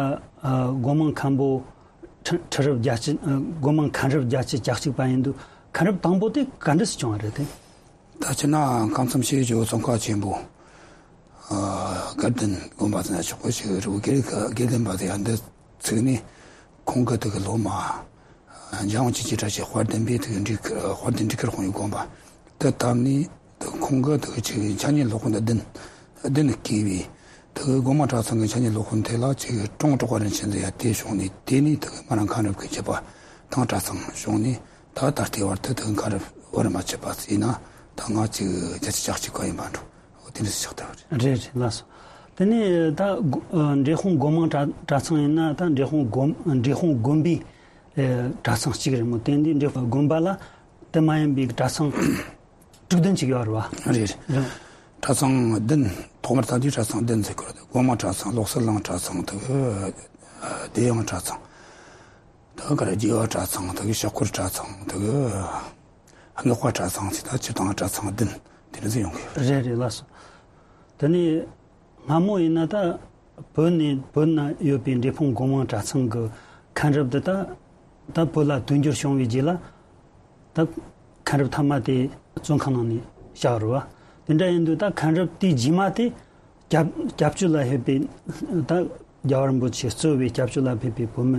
ཨ། སྒོ་མང་མཁན་པོ་ཁྲི་ཁྲི་རབས་བརྒྱད་ཅུ། ཨ། སྒོ་མང་མཁན་རབས་བརྒྱད་ཅུ་གྱ་གཅིག་པ་ཡིན་དུས། མཁན་རབས་དང་པོ་དེ་ག་འདྲས་སུ་བྱུང་བ་རེད་དེ། ད་སྤྱིར་ན་ཁམས་གསུམ་ཤེས་བརྗོད་ཙོང་ཁ་ཆེན་པོ། ཨ། དགའ་ལྡན་དགོན་པ་ཟེར་ན་ཆོག་གི་ཞིག་རེད། དགེ་དགེ་ལྡན་པ་དེ་ཡང་འདི་ཚུགས་ནས་ཁོང་གི་དེ་གི་སློབ་མ། འཇམ་དབྱངས་ཆོས་ཀྱི་བཀྲ་ཤིས་དཔལ་ལྡན་པས་དེ་གི་འབྲི་དཔལ་ལྡན་འབྲི་ཁུལ་དཔོན་གྱི་དགོན་པ་དེ་བཏབ་ནས། དེ་ཁོང་གི་དེ་གི་ཆེ་བའི་འཆད་ཉན་སློབ་དཔོན་དེ་བདུན་བདུན་བསྐོས་པས། དེ་གི་སྒོ་མང་གྲྭ་ཚང་གི་འཆད་ཉན་སློབ་དཔོན་དེ་ལ་ཆེ་བའི་ཀྲོང་གྲགས་པ་རིན་ཆེན་ཟེར་ཡ་དེ་བྱུང་ནས། དེ་ནས་དེ་གི་ང་རང་མཁན་རབས་ཀྱི་བརྒྱད་པ་དང་གྲྭ་ཚང་བྱུང་ནས། ད་ད་ལྟའི་བར་དུ་དེ་གི་མཁན་རབས་བར་མ་ཆད་པ་ཟེར་ན། ད་ང་ཅིག་བརྒྱད་ཅུ་གྱ་གཅིག་པ་ཡིན་པ་འགྲོ། འོ། དེ་འདྲ་ཞིག་ཆགས་བསྡད་པ་རེད། རེད་རེད། ལགས་སོ། དེ་ནས་ད་སྒོ་ཨ། འབྲས་སྤུངས་སྒོ་མང་གྲྭ་གྲྭ་ཚང་ཡིན་ན། ད་འབྲས་སྤུངས་དགོན་འབྲས་སྤུངས་དགོན་པའི་ཨེ། གྲྭ་ཚང་གཅིག་རེད་མོད། དེ་འདི་འབྲས་སྤུངས་དགོན་པ་ལ་དེ་མ་ཡིན་པའི་གྲྭ་ཚང་དྲུག་བདུན་ཅིག་ཡོད་རེད་པ། རེད། རེད། གྲྭ་ཚང་བདུན། ཐོག་མར་ད་དུས་གྲྭ་ཚང་བདུན་ཟེར་གི་རེད། སྒོ་མང་གྲྭ་ཚང་། ལོ་གསར་གླིང་གྲྭ་ཚང་། དེ་གི་བདེ་དབྱངས་གྲྭ་ཚང་། དེ་གི་རྗེ་བ་གྲྭ་ཚང་། དེ་གི་ཤོག་སྐོར་གྲྭ་ཚང་། དེ་གི་སྔགས་པ་གྲྭ་ཚང་ཟེར། ད་སྤྱིར་བཏང་གྲྭ་ཚང་བདུན་དེ་འདྲ་ཟིག་ཡོང་གི་ཡོད། རེད་རེད། ལགས་སོ། དེ་ནས་སྔ་མོ་ཡིན་ན་ད་བོད་ནས་བོད་ན་ཡོད་པའི་འབྲས་སྤུངས་སྒོ་མང་གྲྭ་ཚང་གི་མཁན་རབས་འདི་ད་ད་བོད་ལ་དུས་འགྱུར་བྱུང་བའི་རྗེས་ལ། ད་མཁན་རབས་མཐའ་མ་དེ་བཙོན་ཁང་ནང་ནས་བཞག་རེད་པ། དེ་འདྲ་ཡིན་དུས་ད་མཁན་རབས་དེའི་རྗེས་མ་དེ་སྐྱབས་སྐྱབས་བཅོལ་ལ་ཕེབས་པའི། ད་རྒྱལ་བ་རིན་པོ་ཆེ་གཙོས་པའི་སྐྱབས་བཅོལ་ལ་ཕེབས་པའི་བོད་མི་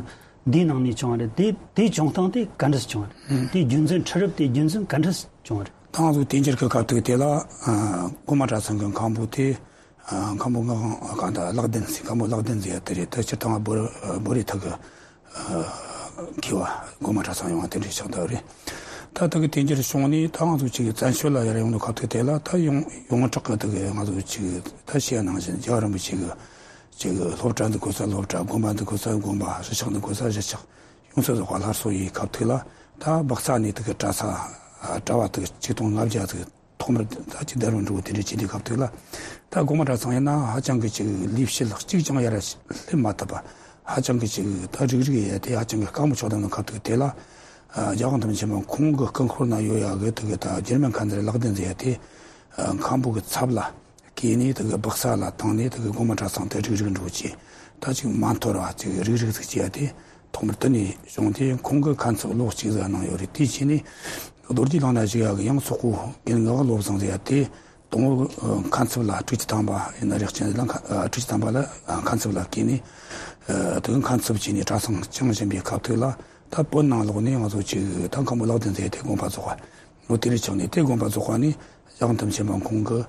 འདིའི་ནང་ནས་བྱུང་བ་རེད། དེ་དེའི་བྱུང་སྟངས་དེ་ག་འདྲས་སུ་བྱུང་བ་རེད། དེའི་རྒྱུ་མཚན། འཕྲུལ་རབས་དེའི་རྒྱུ་མཚན་ག་འདྲས་སུ་བྱུང་བ་རེད། ད་ང་ཚོ་དུས་འགྱུར་གྱི་སྐབས་དུས་དེ་ལ། ཨ། སྒོ་མང་གྲྭ་ཚང་གི་མཁན་པོ་དེ། ཨ། མཁན་པོ་ངག་དབང་གང་ལྟར་ལག་ལྡན་ཟེར། མཁན་པོ་ལག་ལྡན་ཟེར་ཡ་དེ་རེད། ད་སྤྱིར་བཏང་བོད་བོད་རིགས་ཐོག་གི་ མཁས་པ་སྒོ་མང་གྲྭ་ཚང་ཡོང་བ་དེ་འདྲའི་ཆགས་བསྡད་རེད། ད་དེ་གི་དེ་འགྱུར་བྱུང་ནས་ད་ང་ཚོ་ཅིག་བཙན་བྱོལ་ལ་ཡར་ཡོང་དུས་སྐབས་དེ་དེ་ལ་ད་ཡོངས་ཡོངས་གྲགས་ཀྱི་དེ་གི་ང་ཚོ་ཅིག་ད་བཤད་ནང་བཞིན་རྒྱལ་བ་རིན་པོ་ཆེ་གི་ཅིག་སློབ་གྲྭ་འདི་དགོས་ས་སློབ་གྲྭ། དགོན་པ་འདི་དགོས་ས་དགོན་པ། གཞིས་ཆགས་འདི་དགོས་ས་གཞིས་ཆགས། ཡོངས་སུ་རྫོགས་པ་སླར་གསོ་ཡི་སྐབས་དེ་ལ་ད་སྦག་ས་ནས་དེ་གི་གྲྭ་ཚང་གྲྭ་བ་དེ་གི་ཆིག་སྟོང་ལྔ་བརྒྱ་དེ་གི་ཐོག་མར་ད་ཅིག་བསྡད་རུང་འགྲོ་དེ་འདྲའི་བྱེད་དུས་སྐབས་དེ་ལ། ད་སྒོ་མང་གྲྭ་ཚང་ཡིན་ན་ཧ་ཅང་གི་ཅིག་ལས་བྱེད་ལ་གཅིག་ཀྱང་ཡར་སླེབས་མ་ཐུབ་པ། ཧ་ཅང་གི་ཅིག་ད་རིག་རིག་ཡ་དེ་ཧ་ཅང་གི་དཀའ་མོ་ཆགས་བསྡད་ནོ་སྐབས་དེ་དེ་ལ། རྒྱལ་དབང་ཐང་ཆེན་པོ་ཁོང་གི་སྐུ་འཁོར་ན་ཡོད་ཡ་གི་དེ་གི་ད་འགྱུར་མེད་ཁ་མཛད་ལག་ལྡན་ཟེར་ཡ་དེ་མཁན་པོ་གི་ཚབ་ལ་བསྐོས་ནས་དེ་གི་སྦག་ས་ལ་བཏང་ནས་དེ་གི་སྒོ་མང་གྲྭ་ཚང་དེ་རིག་རིག་འགྲོ་ཅིག་ད་ཅིག་མ་འཐོར་བ་ཅིག་རིག་རིག་ཟིག་བྱས་ཏེ། ཐོག་མར་དེ་ནས་བྱུང་སྟེ་ཁོང་གི་མཁན་ཚབ་ལོ་གཅིག་ཙམ་གནང་ཡོད་རེད། དེའི་རྗེས་ནས་རྡོ་རྗེ་གླང་ནག་ཞིག་ཡག་གི་ཡང་སོག་པོ་རྒན་ངག་བློ་བཟང་ཟེར་ཡ་དེ་དང་པོ་མཁན་ཚབ་ལ་སྤྲུལ་སྐྱེས་དམ་པ་ཡིན་ན་རེག་ཅན་ལ་མཁན་སྤྲུལ་སྐྱེས་དམ་པ་ལ་མཁན་ཚབ་ལ་བསྐོས་ནས། དེ་གི་མཁན་ཚབ་བྱས་ནས་གྲྭ་ཚང་བསྐྱངས་བཞིན་པའི་སྐབས་དེ་ལ། ད་བོད་ནང་ལོག་ནས་ང་ཚོ་ཅིག་ད་མཁན་པོ་ལག་ལྡན་ཟེར་ཡ་དེ་དགོངས་པ་རྫོགས་པ། ལོ་དེ་རིང་ཆགས་ནས་དེ་དགོངས་པ་རྫོགས་པ་ནས་རྒྱལ་དབང་ཐང་ཆེན་པོ་ཁོང་གི་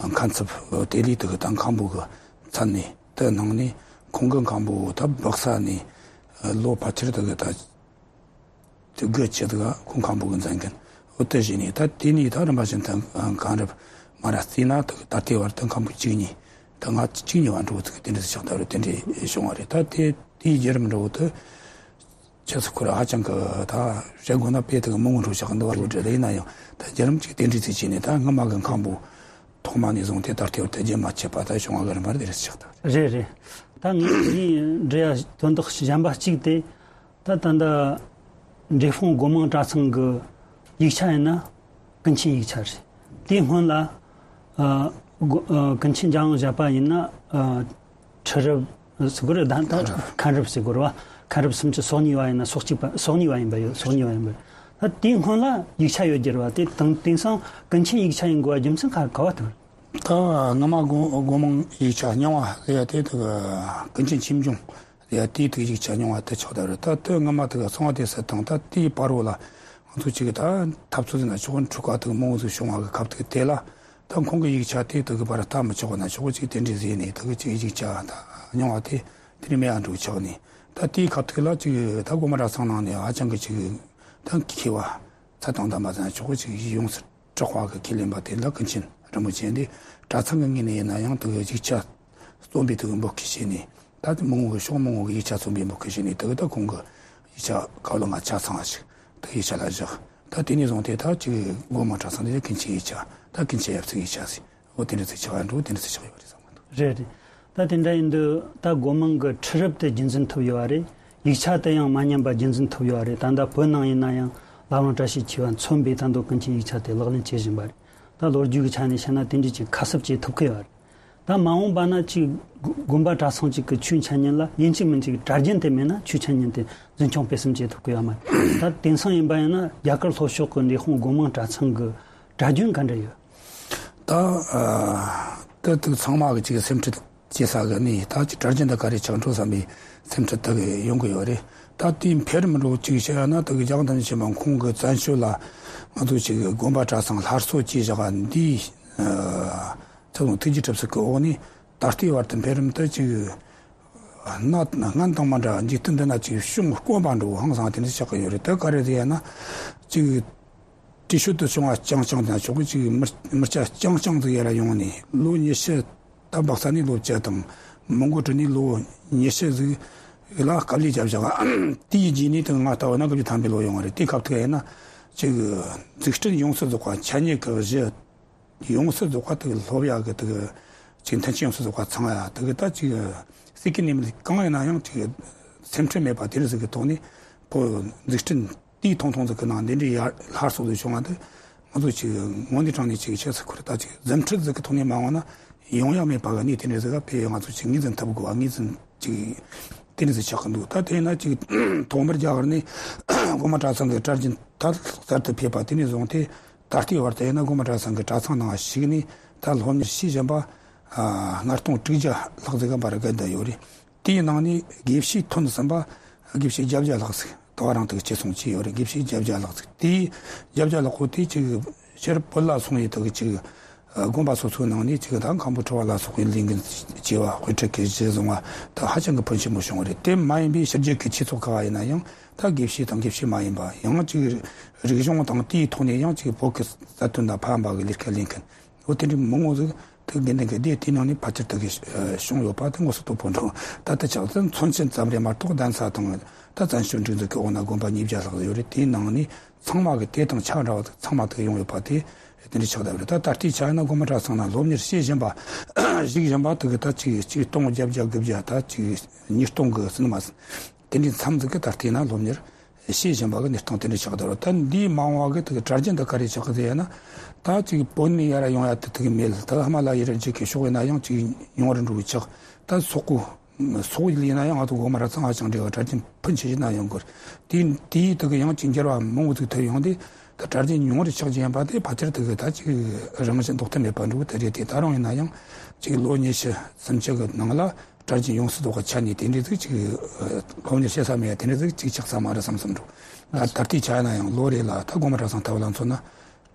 མཁན་ཚབ་དེ་ལས་དེ་གི་ད་མཁན་པོ་གི་མཚན་ནས་དེ་གནང་ནས། ཁོང་གི་མཁན་པོ་ད་སྦག་ས་ནས་ལོ་ཕལ་ཆེར་དེ་གི་ད་དེ་དགུ་ཆ་དེ་ག་ཁོང་མཁན་པོ་གི་མཛད་འགན་འོ་དེ་བཞེས་ནས། ད་དེ་ནས་ད་རིམ་པ་བཞིན་དུ་གང་རབ་མ་ར་བརྩིས་ན་དེ་གི་ད་ལྟའི་བར་དུ་མཁན་པོ་བཅུ་གཉིས། ད་ང་བཅུ་གཉིས་པ་འགྲོ་ཚུགས་དེ་འདྲ་ཞིག་ཆགས་ད་རུ་དེ་འདྲ་བྱུང་བ་རེད། ད་དེ་དེའི་བརྒྱུད་རིམ་འགྲོ་དུ། ཁྱེད་ཚོ་ཁོ་ར་ཧ་ཅང་གི་ད་བཤད་དགོས་ན་དཔེ་དེ་གི་མང་པོ་འགྲོ་ཆགས་འདུག་བ། ལོ་འདྲ་ལ་ཡིན་ན་ཡང་ད་བརྒྱུད་རིམ་གཅིག་དེ་འདྲའི་ཚིག་བྱས་ནས། ད་སྔ་མ་གི་མཁན་པོ་ཐོག་མ་ནས་བཟུང་སྟེ་ད་ལྟའི་བར་དུ་རྒྱུན་མ་ཆད་པ་ད་བྱུང་བ་གི་རིམ་པ་དེ་རེད་ཆགས་ད། རེད་རེད། ད་ངས་ངས་འདྲི་ཡ་དོན་དག་གཞན་པ་གཅིག་དེ། ད་ད་ལྟ་འབྲས་སྤུངས་སྒོ་མང་གྲྭ་ཚང་གི་ཡིག་ཆ་ཡིན་ན་ཀུན་མཁྱེན་ཡིག་ཆ་རེད། དེའི་སྔོན་ལ་ཨ་སྒོ་ཨ་ཀུན་མཁྱེན་འཇམ་དབྱངས་བཞད་པ་ཡིན་ན་ཨ་ཁྲི་རབས་ཟེར་དགོས་རེད། ད་ད་མཁན་རབས་ཟེར་དགོས་རེད་བ། མཁན་རབས་སུམ་ཅུ་སོ་གཉིས་པ་ཡིན་ན་སོ་གཅིག་པ་སོ་གཉིས་པ་ཡིན་པ་ཡོད། སོ་གཉིས་པ་ཡིན་པ་རེད། ད་དེའི་སྔོན་ལ་ཡིག་ཆ་ཡོད་རྒྱུ་རེད་བ། དེ་དང་དེང་སང་ཀུན་མཁྱེན་ཡིག་ཆ་ཡིན་དགོས་པ་རྒྱུ་མཚན་ག་ག་བ་དེ་རེད། ད་སྔ་མ་སྒོ་སྒོ་མང་ཡིག་ཆ་རྙིང་བ་ལས་ཡ་དེ་དེ་གི་ཀུན་མཁྱེན་ཆོས་འབྱུང་ལས་ཡ་དེའི་དེ་གི་ཡིག་ཆ་རྙིང་བ་དེ་ཆགས་བསྡད་རེད། ད་དེ་སྔ་མ་དེ་གི་གསང་བ་སྡེ་སྲིད་དང་ད་དེའི་བར་བོ་ལ་ང་ཚོ་གཅིག་གི་ད་འཐབ་རྩོད་ཟེར་ན་ཆོག་གི། འཁྲུག་པ་དེ་གི་མང་བོ་ཟིག་བྱུང་བ་གི་སྐབས་དེ་གི་དེ་ལ། ད་ཁོང་གི་ཡིག་ཆ་དེ་དེ་གི་བར་ལྟ་མི་ཆོག་ན་ཆོག་གི་ཅིག་དེ་འདྲ་ཟེར་ནས་དེ་གི་ཅིག་ཡིག་ཆ་ད་རྙིང་བ་དེ་དེ་ནས་མེད་ཡ་འགྲོ་ཆགས་ནས། ད་དེའི་སྐབས་དེ་ལ་ཅིག་ད་སྒོ་མང་གྲྭ་ཚང་ནང་ནས་ཧ་ཅང་གི་ཅིག་ད་མཁས་པ་ཚད་དང་ལྡན་པ་ཟེར་ན་ཆོག་གི་ཅིག་ཡོངས་སུ་གྲགས་པ་གི་ཁས་ལེན་པ་དེ་ལ་ཀུན་མཁྱེན་རིན་པོ་ཆེ་འདི་གྲྭ་ཚང་གི་ངོས་ནས་ཡིན་ན་ཡང་དེ་གི་ཡིག་ཆ་རྩོམ་པའི་དེ་གི་འབོད་སྐུལ་བྱས་ནས། ད་དེ་མང་བོ་གི་ཕྱོགས་མང་བོ་གི་ཡིག་ཆ་རྩོམ་པའི་འབོད་སྐུལ་བྱས་ནས། དེ་གི་ད་ཁོང་གི་ཡིག་ཆ་ག་ལ་ང་ཆ་ཚང་བ་ཞིག་དེ་ཡིག་ཆ་ལ་བཞག་ད་དེ་ནས་བཟུང་སྟེ་ད་ཅིག་སྒོ་མང་གྲྭ་ཚང་དེ་ཀུན་མཁྱེན་ཡིག་ཆ། ད་ཀུན་མཁྱེན་ཡབ་སྲས་ཡིག་ཆ་ཟེར། འོ་དེ་འདྲ་ཚིག་ཆགས་ཡ་འགྲོ་དེ་འདྲ་ཚིག་ཆགས་ཡོད་རེད་བསམ་གི་འདུག་རེད་རེད། ད་དེ་འདྲ་ཡིན་དུས་ད་སྒོ་མང་གི་ཁྲི་རབས་དེ་རྒྱུན་འཛིན་ཐུབ་ཡོད་བ་རེད། ཡིག་ཆ་དེ་ཡང་མ་ཉམས་པ་རྒྱུན་འཛིན་ཐུབ་ཡོད་བ་རེད། ད་ལྟ་བོད་ནང་ཡིན་ན་ཡང་བླ་བྲང་བཀྲ་ཤིས་འཁྱིལ་བ་མཚོན་པའི་ད་དུང་ཀུན་མཁྱེན་ཡིག་ཆ་དེ་ལག་ལེན་བྱེད་བཞིན་པ་རེད། ད་ལོ་རྒྱུས་ཀྱི་ཆ་ནས་བཤད་ན་དེ་འདྲ་ཅིག་ཁ་གསབ་བྱེད་ཐུབ་ཀྱི་ཡོད་རེད། ད་མ་འོངས་པ་ན་ཅིག་དགོན་པ་གྲྭ་ཚང་ཅིག་གི་ཆོས་འཆད་ཉན་ལ་ཡིན་གཅིག་མིན་གཅིག་གྲྭ་རྒྱུན་དེ་མེད་ན་ཆོས་འཆད་ཉན་དེ་འཛིན་སྐྱོང་སྤེལ་གསུམ་བྱེད་ཐུབ་ཀྱི་ཡོད་མ་རེད། ད་དེང་སང་ཡིན་པ་ཡིན་ན་རྒྱ་གར་ལྷོ་ཕྱོགས་ཀྱི་འབྲས་སྤུངས་སྒོ་མང་གྲྭ་ཚང་གི་གྲྭ་རྒྱུན་ག་འདྲ་ཡོད། ད་ཨ་ད་དུ་ཚང་མ་གི་ཅིག་སེམས་ཁྲལ་བྱེད་ས་གི་ནི་ད་ཅིག་གྲྭ་རྒྱུན་ད་ག་རེ་ཆགས་འགྲོ་བསམ་པའི་སེམས་ཁྲལ་ད་གི་ཡོང་གི་ཡོད་རེད། ད་དེའི་འཕེལ་རིམ་འགྲོ་ཅིག་བཤད་ཡ་ན་ད་གི་རྒྱལ་དབང་ཐང་ཆེན་པ་ཁོང་གི་བཙན་བྱོལ་ལ་ང་ཚོ་ཅིག་དགོན་པ་གྲྭ་ཚང་སླར་གསོ་བྱས་བཞག་པ་འདིའི་ཨ་ཚོགས་དང་ཐུགས་རྗེ་གྲུབ་ཚུལ་གྱི་འོག་ནས་ད་ལྟའི་བར་དུ་འཕེལ་རིམ་དུ་ཅིག་གནའ་སྔན་དང་མ་འདྲ་འཇིག་རྟེན་འདི་ན་ཅིག་བྱུང་དཀོན་པ་འགྲོ་ཧང་སང་དེ་འདྲ་ཆགས་ཀྱི་ཡོད་རེད། དེ་ག་རེ་རེད་ཡ་ན་ཅིག་བྲེལ་ཤོད་དུ་བྱུང་བ་རྐྱང་རྐྱང་དང་ཆོག་གི་ཅིག་མི་མི་སྐྱ་རྐྱང་རྐྱང་ཟིག་ཡར་ཡོང་ནས་ལོ་ཉི་ཤུ། ད་སྦག་ས་ནས་ལོ་བཅུ་དང་མོན་གྷོ་འགྲོ་ནས་ལོ་ཉི་ཤུ་ཟིག་ལ་དཀའ་ལས་བརྒྱབ་བཞག་དེའི་རྗེས་ནས་དེ་ང་ལྟ་བུ་ན་སྐབས་ཀྱི་ཐམ་པའི་ལོ་ཡོང་བ་རེད། དེ་སྐབས་དེ་ཡིན་ན་ཅིག་འཛུགས་སྐྲུན་ཡོངས་སུ་རྫོགས་པ་འཆད་ཉན་གྱི་གཞི་ཡོངས་སུ་རྫོགས་པ་དེ་སློབ་ཡག་གི་དེ་ཅིག་མཐུན་རྐྱེན་ཡོངས་སུ་རྫོགས་པ་ཚང་ཡ་དེ་གི་ད་ཅིག་སྲིད་ཀྱི་ནས་མི་གང་ཡིན་ན་ཡང་ཅིག་སེམས་ཁྲལ་མེད་པ་དེ་རིགས་ཟིག་གི་ཐོག་ནས་བོད་འཛུགས་སྐྲུན་དེའི་ཐུང་ཐུང་ཟིག་གི་ནང་འདི་འདྲའི་ཡར་སླར་གསོ་ཟིག་བྱུང་བ་འདི་ང་ཚོ་ཅིག་དངོས་གནས་དྲང་གནས་ཅིག་ཆེ་ས་ཁུར་ད་ཅིག་རྫུ་འཕྲུལ་ཟིག་གི་ཐོག་ནས་མ་འོངས་ན་ཡོང་ཡ་མེད་པ་གི་གནས་དེ་འདྲ་ཟིག་ག་དཔེ་ང་ཚོ་ཅིག་ངོས་འཛིན་ཐུབ་དགོས་པ་ངོས་འཛིན་ཅིག་དེ་འདྲ་ཟིག་ཆགས་གི་འདུག་ད་དེ་ན་ཅིག་ཐོག་མར་རྒྱ་གར་ནས་སྒོ་མང་གྲྭ་ཚང་གི་གྲྭ་རྒྱུན་ད་གསར་དུ་ཕེབས་པ་དེ་ནས་བཟུང་སྟེ་ད་ལྟའི་བར་དུ་ཡིན་ན་སྒོ་མང་གྲྭ་ཚང་གི་གྲྭ་ཚང་ནང་ཞུགས་ནས་ད་སློབ་གཉེར་བྱེད་བཞིན་པ་ལྔ་སྟོང་དྲུག་བརྒྱ་ལྷག་ཟིག་གམ་པར་བརྒལ་བསྡད་ཡོད་རེད། དེའི་ནང་ནས་དགེ་བཤེས་ཐོན་ཟིན་པ་དགེ་བཤེས་བརྒྱད་བརྒྱ་ལྷག་ཟིག་ད་བར་རང་དུ་བཅད་སོང་བྱས་ཡོད་རེད། དགེ་བཤེས་བརྒྱད་བརྒྱ་ལྷག་ཟིག་དེའི་བརྒྱད་བརྒྱ་ལྷག་པོ་དེ་ཅིག་ཕྱིར་བོད་ལ་སོང་ཡོད་དག་ཅིག་ དགོན་པ་སོ་སོའི་ནང་ནས་ཅིག་ད་མཁན་པོ་ཁྲི་པ་ལ་སོགས་པའི་ལས་འགན་བྱས་པ། དཔེ་ཁྲིད་ཀྱི་གཞི་བཟུང་བ་ད་ཧ་ཅང་གི་ཕོན་ཆེན་པོ་བྱུང་བ་རེད། དེ་མ་ཡིན་པའི་ཕྱི་རྒྱལ་གྱི་ཆོས་ཚོགས་ཁག་ཡིན་ན་ཡང་ད་དགེ་བཤེས་དང་དགེ་བཤེས་མ་ཡིན་པ། ཡང་ཅིག་རིག་གཞུང་དང་དེའི་ཐོག་ནས་ཡང་ཅིག་བོད་ཀྱི་རྩ་དོན་དང་ཕན་པ་གི་ལས་ཀ་ལས་མཁན། འོ་དེ་འདྲའི་མང་བོ་ཟིག་ཐུགས་དགེ་འདུན་གྱི་སྡེ་དེའི་ནང་ནས་ཕལ་ཆེར་དག་གི་བྱུང་ཡོད་པ་དེ་མངོན་སུམ་དོད་པོ་འདུག་ད་ལྟ་ཆགས་ཚུལ་མཚོན་བྱེད་ཙམ་རེད་མ་གཏོགས། གདན་ས་དང་ད་བཙན་བྱོལ་སྒྲིག་འཛུགས་ཀྱི་འོག་ན་དགོན་པ་ཉིས་བརྒྱ་ལྷག་ཡོད་རེད། དེའི་ནང་ནས་ཚང་མ་གི་དེ་དང་ཆ་འདྲ་བ་ཚང་མ་དག་ཡོང་ཡོད་པ་དེ་དེ་འདྲའི་ཆགས་བསྡད་པ་རེད། ད་ད་ལྟའི་ཆ་ཡིན་ན་དགོན་པ་གྲྭ་ཚང་ན་སློབ་གཉེར་བྱེད་བཞིན་པ་བཞུགས་བཞིན་པ་དེ་གི་ད་ཅིག་ཅིག་སྟོང་བརྒྱད་བརྒྱ་དགུ་བརྒྱ་ད་ཅིག་ཉིས་སྟོང་གི་ཟིན་མ་ཟིན། དེ་འདྲའི་མཚམས་ཟིག་གི་ད་ལྟའི་ན་སློབ་གཉེར་བྱེད་བཞིན་པ་གི་གནས་སྟངས་དེ་འདྲ་ཆགས་བསྡད་རེད། ད་འདིའི་མ་འོངས་པ་གི་དེ་གི་གྲ་རྒྱུན་དུ་ག་རེ་ཆགས་གི་ཟེར་ན། ད་ཅིག་བོད་ནས་ཡར་ཡོང་ཡ་དེ་དེ་གི་མེད། ད་ཧི་མ་ལ་ཡའི་རི་རྒྱུད་ཀྱི་ཕྱོགས་ཡིན་ན་ཡང་ཅིག་ཉུང་རུ་འགྲོ་གི་ཆགས། ད་སོག་པོ་སོག་པོ་ཡིན་ན་ཡང་ང་ཚོ་དགོན་པ་ར་ཚང་ཧ་ཅང་འདྲ་བ་གྲ་རྒྱུན་ཕོན་ཆེ་ཞིག་ན་ཡོང་དགོས། དེ་དེའི་དེ་གི་ཡང་ཅིག་འགྱུར་བ་མང་བོ་ཟིག་ཐེབས་ཡོང་དུས་ད་གྲ་རྒྱུན་ཉུང་རུ་ཆགས་ཀྱི་ཡིན་པ་དེ་ཕལ་ཆེར་དེ་གི་ད་ཅིག་རང་བཞིན་ལྡོག་ཐབས་མེད་པ་འགྲོ་གི་དེ་རེད། དེ་ད་རུང་ཡིན་ན་ཡང་ཅིག་ལོ་ཉི་ཤུ་སུམ་ཅུ་གི་ནང་ལ། གྲ་རྒྱུན་ཡོངས་སུ་རྫོགས་པ་ཆ་ནས་དེ་འདྲའི་ཟིག་ཅིག་སློབ་གཉེར་བྱེད་ས་མེད་ཡ་དེ་འདྲའི་ཟིག་ཅིག་ཆགས་ས་མ་རེད་བསམ་བསམ་འགྲོ། ད་ད་ལྟའི་ཆ་ཡིན་ན་ཡང་ལོ་རེ་ལ་ད་དགོན་པ་གྲྭ་ཚང་ལྟ་བུ་ལ་མཚོན་ན་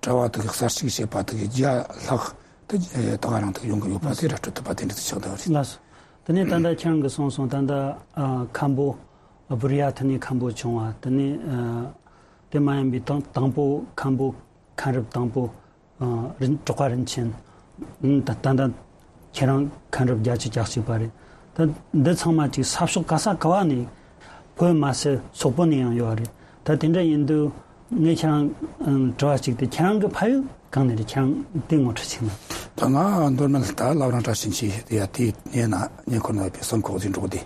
གྲྭ་བ་དག་གསར་ཞུགས་བྱེད་པ་དག་བརྒྱ་ལྷག་ད་ད་ག་རང་དག་ཡོང་གི་ཡོད་པ་དེ་ར་སྤྲོད་ཐུབ་པ་དེ་འདྲའི་ཟིག་ཆགས་བསྡད་པ་རེད། ལགས་སོ། དེ་ནས་ད་ལྟ་ཁྱེད་རང་གིས་གསུངས་སོང་། ད་ལྟ་ཨ་མཁན་པོ་བུ་ར་ཡ་ཐི་ནས་མཁན་པོ་བྱུང་བ། དེ་ནས་ཨ་དེ་མ་ཡིན་པའི་དང་དང་པོ་མཁན་པོ་མཁན་རབས་དང་པོ་ཨ་རིན་གྲགས་པ་རིན་ཆེན། ཨ་ད་ད་ལྟ་ཁྱེད་རང་མཁན་རབས་བརྒྱད་ཅུ་གྱ་གཅིག་པ་རེད། ད་འདི་ཚང་མ་ཅིག་ས་ཕྱོགས་ག་ས་ག་བ་ནས། བོད་མ་ཟད་སོག་པོ་ནས་ཡང་ཡོད་རེད། ད་དེ་འདྲ་ཡིན་དུས་ངས་ཁྱེད་རང་ཨ་དྲི་བ་གཅིག་དེ། ཁྱེད་རང་གི་ཕ་ཡུལ་གང་ནས་རེད། ཁྱེད་རང་དེ་ངོ་སྤྲོད་བྱེད་ན། ད་ང་མདོ་སྨད་ད་བླ་བྲང་བཀྲ་ཤིས་འཁྱིལ་དེ་ཡ་དེའི་གནས་ན་ཉེ་འཁོར་ན་ཡོད་པའི་བསམ་ཁོག་ཟིན་འགྲོ་དེ།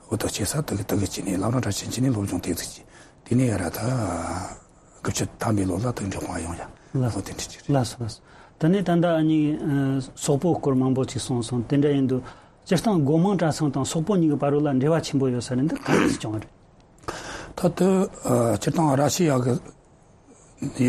འོ་ད་བྱེད་ས་དག་གི་དག་གི་ཅི་ནས་བླ་བྲང་བཀྲ་ཤིས་འཁྱིལ་ནས་སློབ་སྦྱོང་དེ་ཚིག་གི་དེ་ནས་ཡ་ར་ད་དགུ་བཅུ་ཐམ་པའི་ལོ་ལ་དག་འབྲི་དཔང་ཡོང་ཡ། ལགས་སོ། འོ་དེ་འདྲ་ཅི་རེད། ལགས་སོ་ལགས་སོ། ད་ནས་ད་ལྟ་ཨ་ནི་ཨ་སོག་པོ་སྐོར་མང་པོ་ཅིག་གསུངས་སོང་། དེ་འདྲ་ཡིན་དུས་སྤྱིར་བཏང་སྒོ་མང་གྲྭ་ཚང་དང་སོག་པོ་གཉིས་ཀྱི་བར་ལ་འབྲེལ་བ་ཆེན་པོ་ཡོད་ས་རེད། འདི་ག་རེ་བྱུང་བ་རེད། ད་ལྟ་ཨ་སྤྱིར་བཏང་ར་ཤི་ཡ་གི་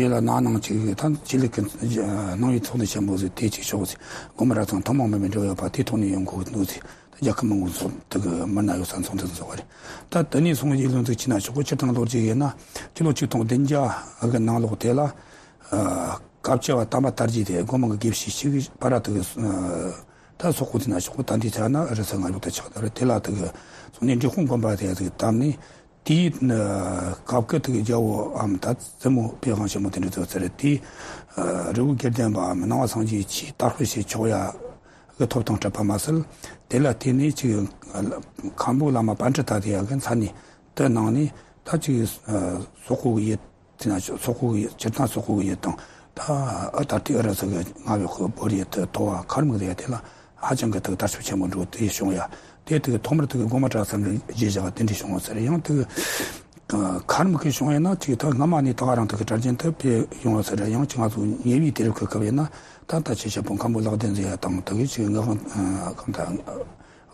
ཡུལ་ལ་ན་ནང་ཅིག་ད་ཆོས་ལུགས་ཀྱི་ནང་པའི་ཚོགས་སྡེ་ཆེན་པོ་ཟིག་དེ་ཅིག་ཤོག་ཟིག་སྒོ་མང་གྲྭ་ཚང་ཐུན་མོང་མིན་པའི་འབྲེལ་བ་ཡོད་པ་དེ་ཐོག་ནས་ཡོང་དགོས་འདུག་ཟིག་ད་རྒྱལ་ཁབ་མང་པོ་ཚོགས་དེ་གི་མི་སྣ་ཡོད་ས་ཚོགས་འདུ་ཚོགས་པ་རེད། ད་དེ་ནས་སོང་ཡིག་ལོན་ཚིག་ཅི་ན་ཆོག་གོ་སྤྱིར་བཏང་ལོ་རྒྱུས་ཡིན་ན་སྤྱི་ལོ་ཆིག་སྟོང་བདུན་བརྒྱ་གི་ནང་ལོགས་དེ་ལ་ཨ་སྐབས་བཅུ་པ་དམ་པ་དར་རྒྱས་དེ་སྒོ་མང་གི་དགེ་བཤེས་ཤིག་པ་ར་དེ་གི་ཨ་ད་སོག་པོ་དེ་ན་ཆོག་གོ་ད་འདི་ཆ་ན་རི་ས་ང་ཡོག་ད་ཆགས་ད་རེད། དེ་ལ་དེ་གི་སོང་ནས་འབྲི་གུང་དགོན་པ་དེ་ཡ་དེ་གི་བཏབ་ནས། དེའི་སྐབས་ཀྱི་དེ་གི་རྒྱལ་པོའམ་ད་བཙུན་མོ་པི་ཝང་ཆེན་མོ་དེ་འདྲ་ཚོ་ཚེ་རེད། དེའི་རི་བོ་དགེ་ལྡན་པའམ་སྣང་བ་སངས་རྒྱས་ཆོས་དར་སྤེལ་བྱེད་ཆོག་ཡ་གི་ཐོབ་ཐང་སྤྲད་པ་མ་ཟད། དེ་ལ་བརྟེན་ནས་ཅིག་མཁན་པོ་བླ་མ་པཎྜི་ཏ་དེ་ཡ་གི་མཚན་ནས་དེ་གནང་ནས། ད་ཅིག་སོག་པོ་གི་ཡུལ་དེ་ན་སོག་པོ་གི་ཡུལ་སྤྱིར་བཏང་སོག་པོ་གི་ཡུལ་དང་། ད་ཨ་ད་ལྟའི་ཨུ་རུ་སུ་གི་མངའ་འོག་གི་བོད་ཡུལ་དུ་ཐོ་བ་ཁ་རམ་གི་དེ་ཡ་དེ་ལ། ཧ་ཅང་གི་དེ་དར་ཁྱབ་ཆེན་པོ་འགྲོ་དེ་བྱུང་ཡ། དེ་དེ་ཐོག་མར་དེ་སྒོ་མང་གྲྭ་ཚང་གི་རྗེས་བཞག་དེ་འདྲ་བྱུང་བ་ཟེར། ཡང་དེ་ཁ་རམ་གི་བྱུང་ཡ་ན་ཅིག་ད་སྔ་མ་ནས་ད་ག་རང་དེ་གི་གྲ་རྒྱུན་དུ་སྤེལ་ཡོང་བ་ཟེར། ཡང་ཅིག་ང་ཚོ་ཉེ་བའི་དུས་རབས་ཀྱི་སྐབས་ཡིན་ན་ད་ད་ཆེ་ཞབས་པོ་མཁན་པོ་ལག་ལྡན་ཟེར་ཡ་དང་དེ་གི་ཅིག་ངག་དབང་གང་ད་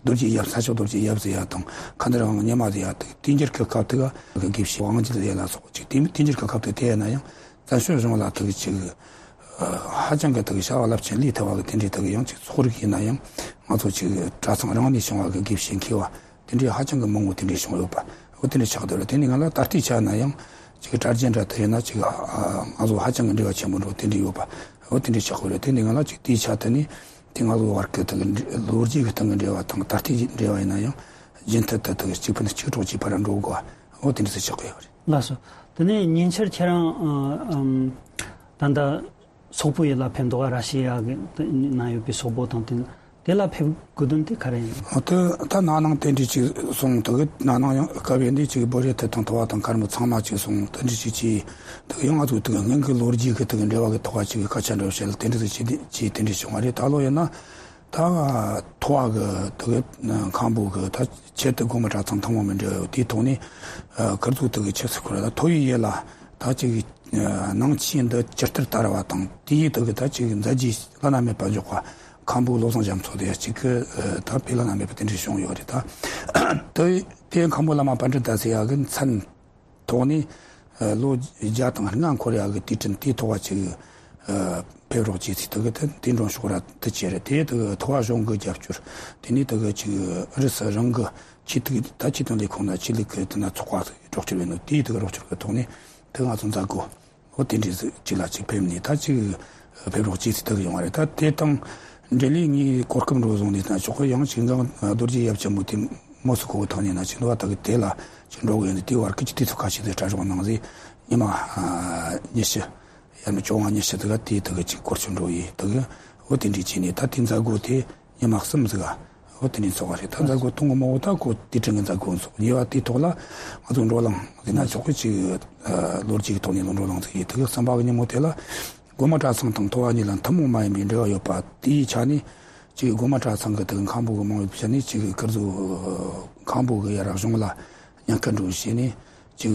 རྡོ་རྗེ་ཡབ། ས་སྐྱ་རྡོ་རྗེ་ཡབ་ཟེར་ཡ་དང་མཁན་ཟུར་དབང་ཉི་མ་ཟེར་ཡ་དེ་དུས་འགྱུར་གི་སྐབས་དེ་གི་དགེ་བཤེས་དབང་རྒྱལ་ཟེར་ཡ་ལ་སོགས་ཅིག་དེ་དུས་འགྱུར་གི་སྐབས་དེ་དེ་ཡིན་ན་ཡང་། བཙན་བྱོལ་གཞུང་ལ་དག་ཅིག་ཧ་ཅང་གི་དག་བྱ་བ་རླབས་ཆེན་ལས་ཐུབ་པ་གི་དེ་འདྲའི་དག་ཡང་ཅིག་ཚོགས་རིགས་ཡིན་ན་ཡང་ང་ཚོ་ཅིག་གྲྭ་ཚང་རང་ནས་བྱུང་བ་གི་དགེ་བཤེས་མཁས་པ་དེ་འདྲའི་ཧ་ཅང་གི་མང་པོ་དེ་འདྲའི་བྱུང་ཡོད་པ། འོ་དེ་འདྲའི་ཆགས་བསྡད་རེད། དེ་ནི་ང་ལ་ད་ལྟའི་ཆ་ན་ཡང་ཅིག་གྲྭ་རྒྱུན་འདྲ་དག་ཡིན་ན་ཅིག་ང་ཚོ་ཧ་ཅང་གི་འབྲེལ་བ་ཆེན་པོ་འགྲོ་དེ་འདྲའི་ཡོད་པ། འོ་དེ་འདྲའི་ཆགས་བསྡད་རེད། དེ་ནི་ང་ལ་ཅིག་དེའི་ཆ་དེ་ནི་དེ་ང་ཚོ་བར་གི་དག་ལོ་རྒྱུས་ཀྱི་སྟེང་གི་འབྲེལ་བ་དང་ད་ལྟའི་འབྲེལ་བ་ཡིན་ན་ཡང་རྒྱུན་མཐུད་དུ་དག་གཅིག་ཕན་གཅིག་གྲོགས་ཀྱི་བར་འགྲོ་དགོས་པ། འོ་དེ་འདྲ་ཟིག་ཆགས་ཀྱི་ཡོད་རེད། ལགས་སོ། དེ་ནས་ཉེ་ཆར་ཁྱེད་རང་ཨ་ཨམ་ད་ལྟ་སོག་པོ་ཡུལ་ལ་ཕེབས་འདུག་ག་ར་ཤི་ཡ་གི་ན་ཡོད་པའི་སོག་པོ་དང་དེ་དེ་ལ་ཕེབས་དགོས་དོན་དེ་ག་རེ་ཡིན། འོ་དེ་ད་ན་ནིང་དེ་འདྲ་ཅིག་སོང་། དེ་གི་ན་ནིང་ཡང་སྐབས་ཡིན་དུས་ཅིག་བོད་རིགས་ཐད་དང་ཐོ་བ་དང་མཁར་མོ་ཚང་མ་ཅིག་སོང་། དེ་འདྲ་ཅིག་ཅིག་དེ་གི་ཡང་ང་ཚོ་དེ་གི་སྔོན་གི་ལོ་རྒྱུས་ཀྱི་དེ་གི་འབྲེལ་བ་གི་ཐོག་ཅིག་གི་སྐད་ཆ་འདྲ་བོ་བཤད་ལ་དེ་འདྲ་ཟིག་ཅིག་དེ་ཅིག་དེ་འདྲ་བྱུང་བ་རེད། ད་ལོ་ཡིན་ན། ད་ཐོ་བ་གི་དེ་གི་མཁན་པོ་གི་ད་ཆེད་དུ་དགོན་པ་གྲྭ་ཚང་ཐུན་མོང་མི་འབྲེལ་ཡོད་དེའི་ཐོག་ནས་ཨ་ཁིར་ཚོ་དེ་གི་ཆེད་སུ་ཁུར་ད་ཐོ་བའི་ཡུལ་ལ་ད་ཅིག་ཨ་ནང་ཆོས་འདི་ཇི་ལྟར་དར་བ་དང་དེའི་དེ་གི་ད་ཅིག་མཛད་རྗེས་བླ་ན་མེད་པ་འཇོག་པ་མཁན་པོ་བློ་བཟང་རྒྱ་མཚོ་དེ་ཡ་གཅིག་གི་ཨ་ད་དཔེ་བླ་ན་མེད་པ་དེ་འདྲ་བྱུང་ཡོད་རེད། ད་དེ་དེ་མཁན་པོ་བླ་མ་པཎྜི་ཏ་ཟེར་ཡ་གི་མཚན། ཐོག་ནས་ཨ་ལོ་བརྒྱ་དང་ལྔ་འཁོར་ཡག་གི་དུས་དྲན་དེའི་ཐོག་ཅིག་ཨ་ཕེབས་རོགས་བྱས་ཚེ་དེ་གི་དེ་དེ་འགྲོ་ཤོག་ར་དེ་བྱས་རེད། དེ་དེ་གི་ཐོ་བ་གཞུང་གི་རྒྱབ་སྐྱོར། དེ་ནས་དེ་གི་ཅིག་ཨུ་རུ་སུ་རང་གི་ཆོས་དུ་ད་ཆོས་དོན་ལས་ཁུངས་ན་ཆོས་ལུགས་ཀྱི་དེ་ན་ཚོགས་པ་རོགས་སྐྱོར་བྱས་ནོ། དེའི་དེ་གི་རོགས་སྐྱོར་གི་ཐོག་ནས་དེ་ང་ཚོ་མཛད་དགོས། འོ་དེ་འདྲའི་ཟིག་ཅིག་ལ་ཅིག་ཕེབས་ནས་ད་ཅིག་ ཕེབས་རོགས་བྱས་ཚེ་དག་ཡོང་བ་རེད། ད་དེ་དང་འབྲེལ་ལས་ངས་གོ་སྐབས་འགྲོ་བཟུང་ནས་ན་ཆོག་གི། ཡང་ཅིག་འགངས་རྡོ་རྗེ་ཡབ་ཆེན་པོ་དེ་མོ་སི་ཁོ་བོ་ཐག་ཉེ་ན་ཅིག་འདུག་བ། ད་གི་དེ་ལ་ཅིག་འགྲོ་གི་ཡོད་ནི་དེ་བར་སྐད་ཀྱི་དུས་ཚོད་ཁ་ཤས་དེ་གྲ་སྒྲོག་གནང་ཟིག་ཉི་མ་ཉི་ཤུ། ཡར་མི་བཅོ་ལྔ་ཉི་ཤུ་དེ་ག་དེ་དེ་ག་ཅིག་སྐོར་ཆུ་འགྲོ་ཡི་དེ་ག་འོ་དེ་འདྲའི་བྱས་ནས་ད་དེ་མཛད་སྒོ་དེ་ཉི་མ་གསུམ་ཟིག་ག་འོ་དེ་འདྲའི་ཚོགས་པ་རེད། ད་མཛད་སྒོ་དང་གི་མོ་ད་ཁོ་དེ་དྲན་གི་མཛད་སྒོ་ཚོགས་ཉེ་བ་དེའི་ཐོག་ལ་ང་ཚོ་འགྲོ་ལངས་ཟེར་ན་ཆོག་གི། ཅིག་ལོ་རྒྱུས་ཀྱི་ཐོག་ནས་ལོ་འགྲོ་ལངས་ཟིག་ཡི་དེ་ག་གསུམ་པ་གི་ཉིན་མོ་དེ་ལ་སྒོ་མང་གྲྭ་ཚང་དང་ཐོ་བ་གཉིས་ལ་ཐུན་མོང་མ་ཡིན་པའི་འབྲེལ་བ་ཡོད་པ་དེའི་ཆ་ནས་ཅིག་སྒོ་མང་གྲྭ་ཚང་གི་དེ་ག་མཁན་པོ་གི་མང་བའི་ཆ་ནས་ཅིག་ཀིར་ཟོ་མཁན་པོ་གི་ཡར་གཞུང་ལ་ཉེན་ཁ་འགྲོ་བྱས་ནས་ཅིག་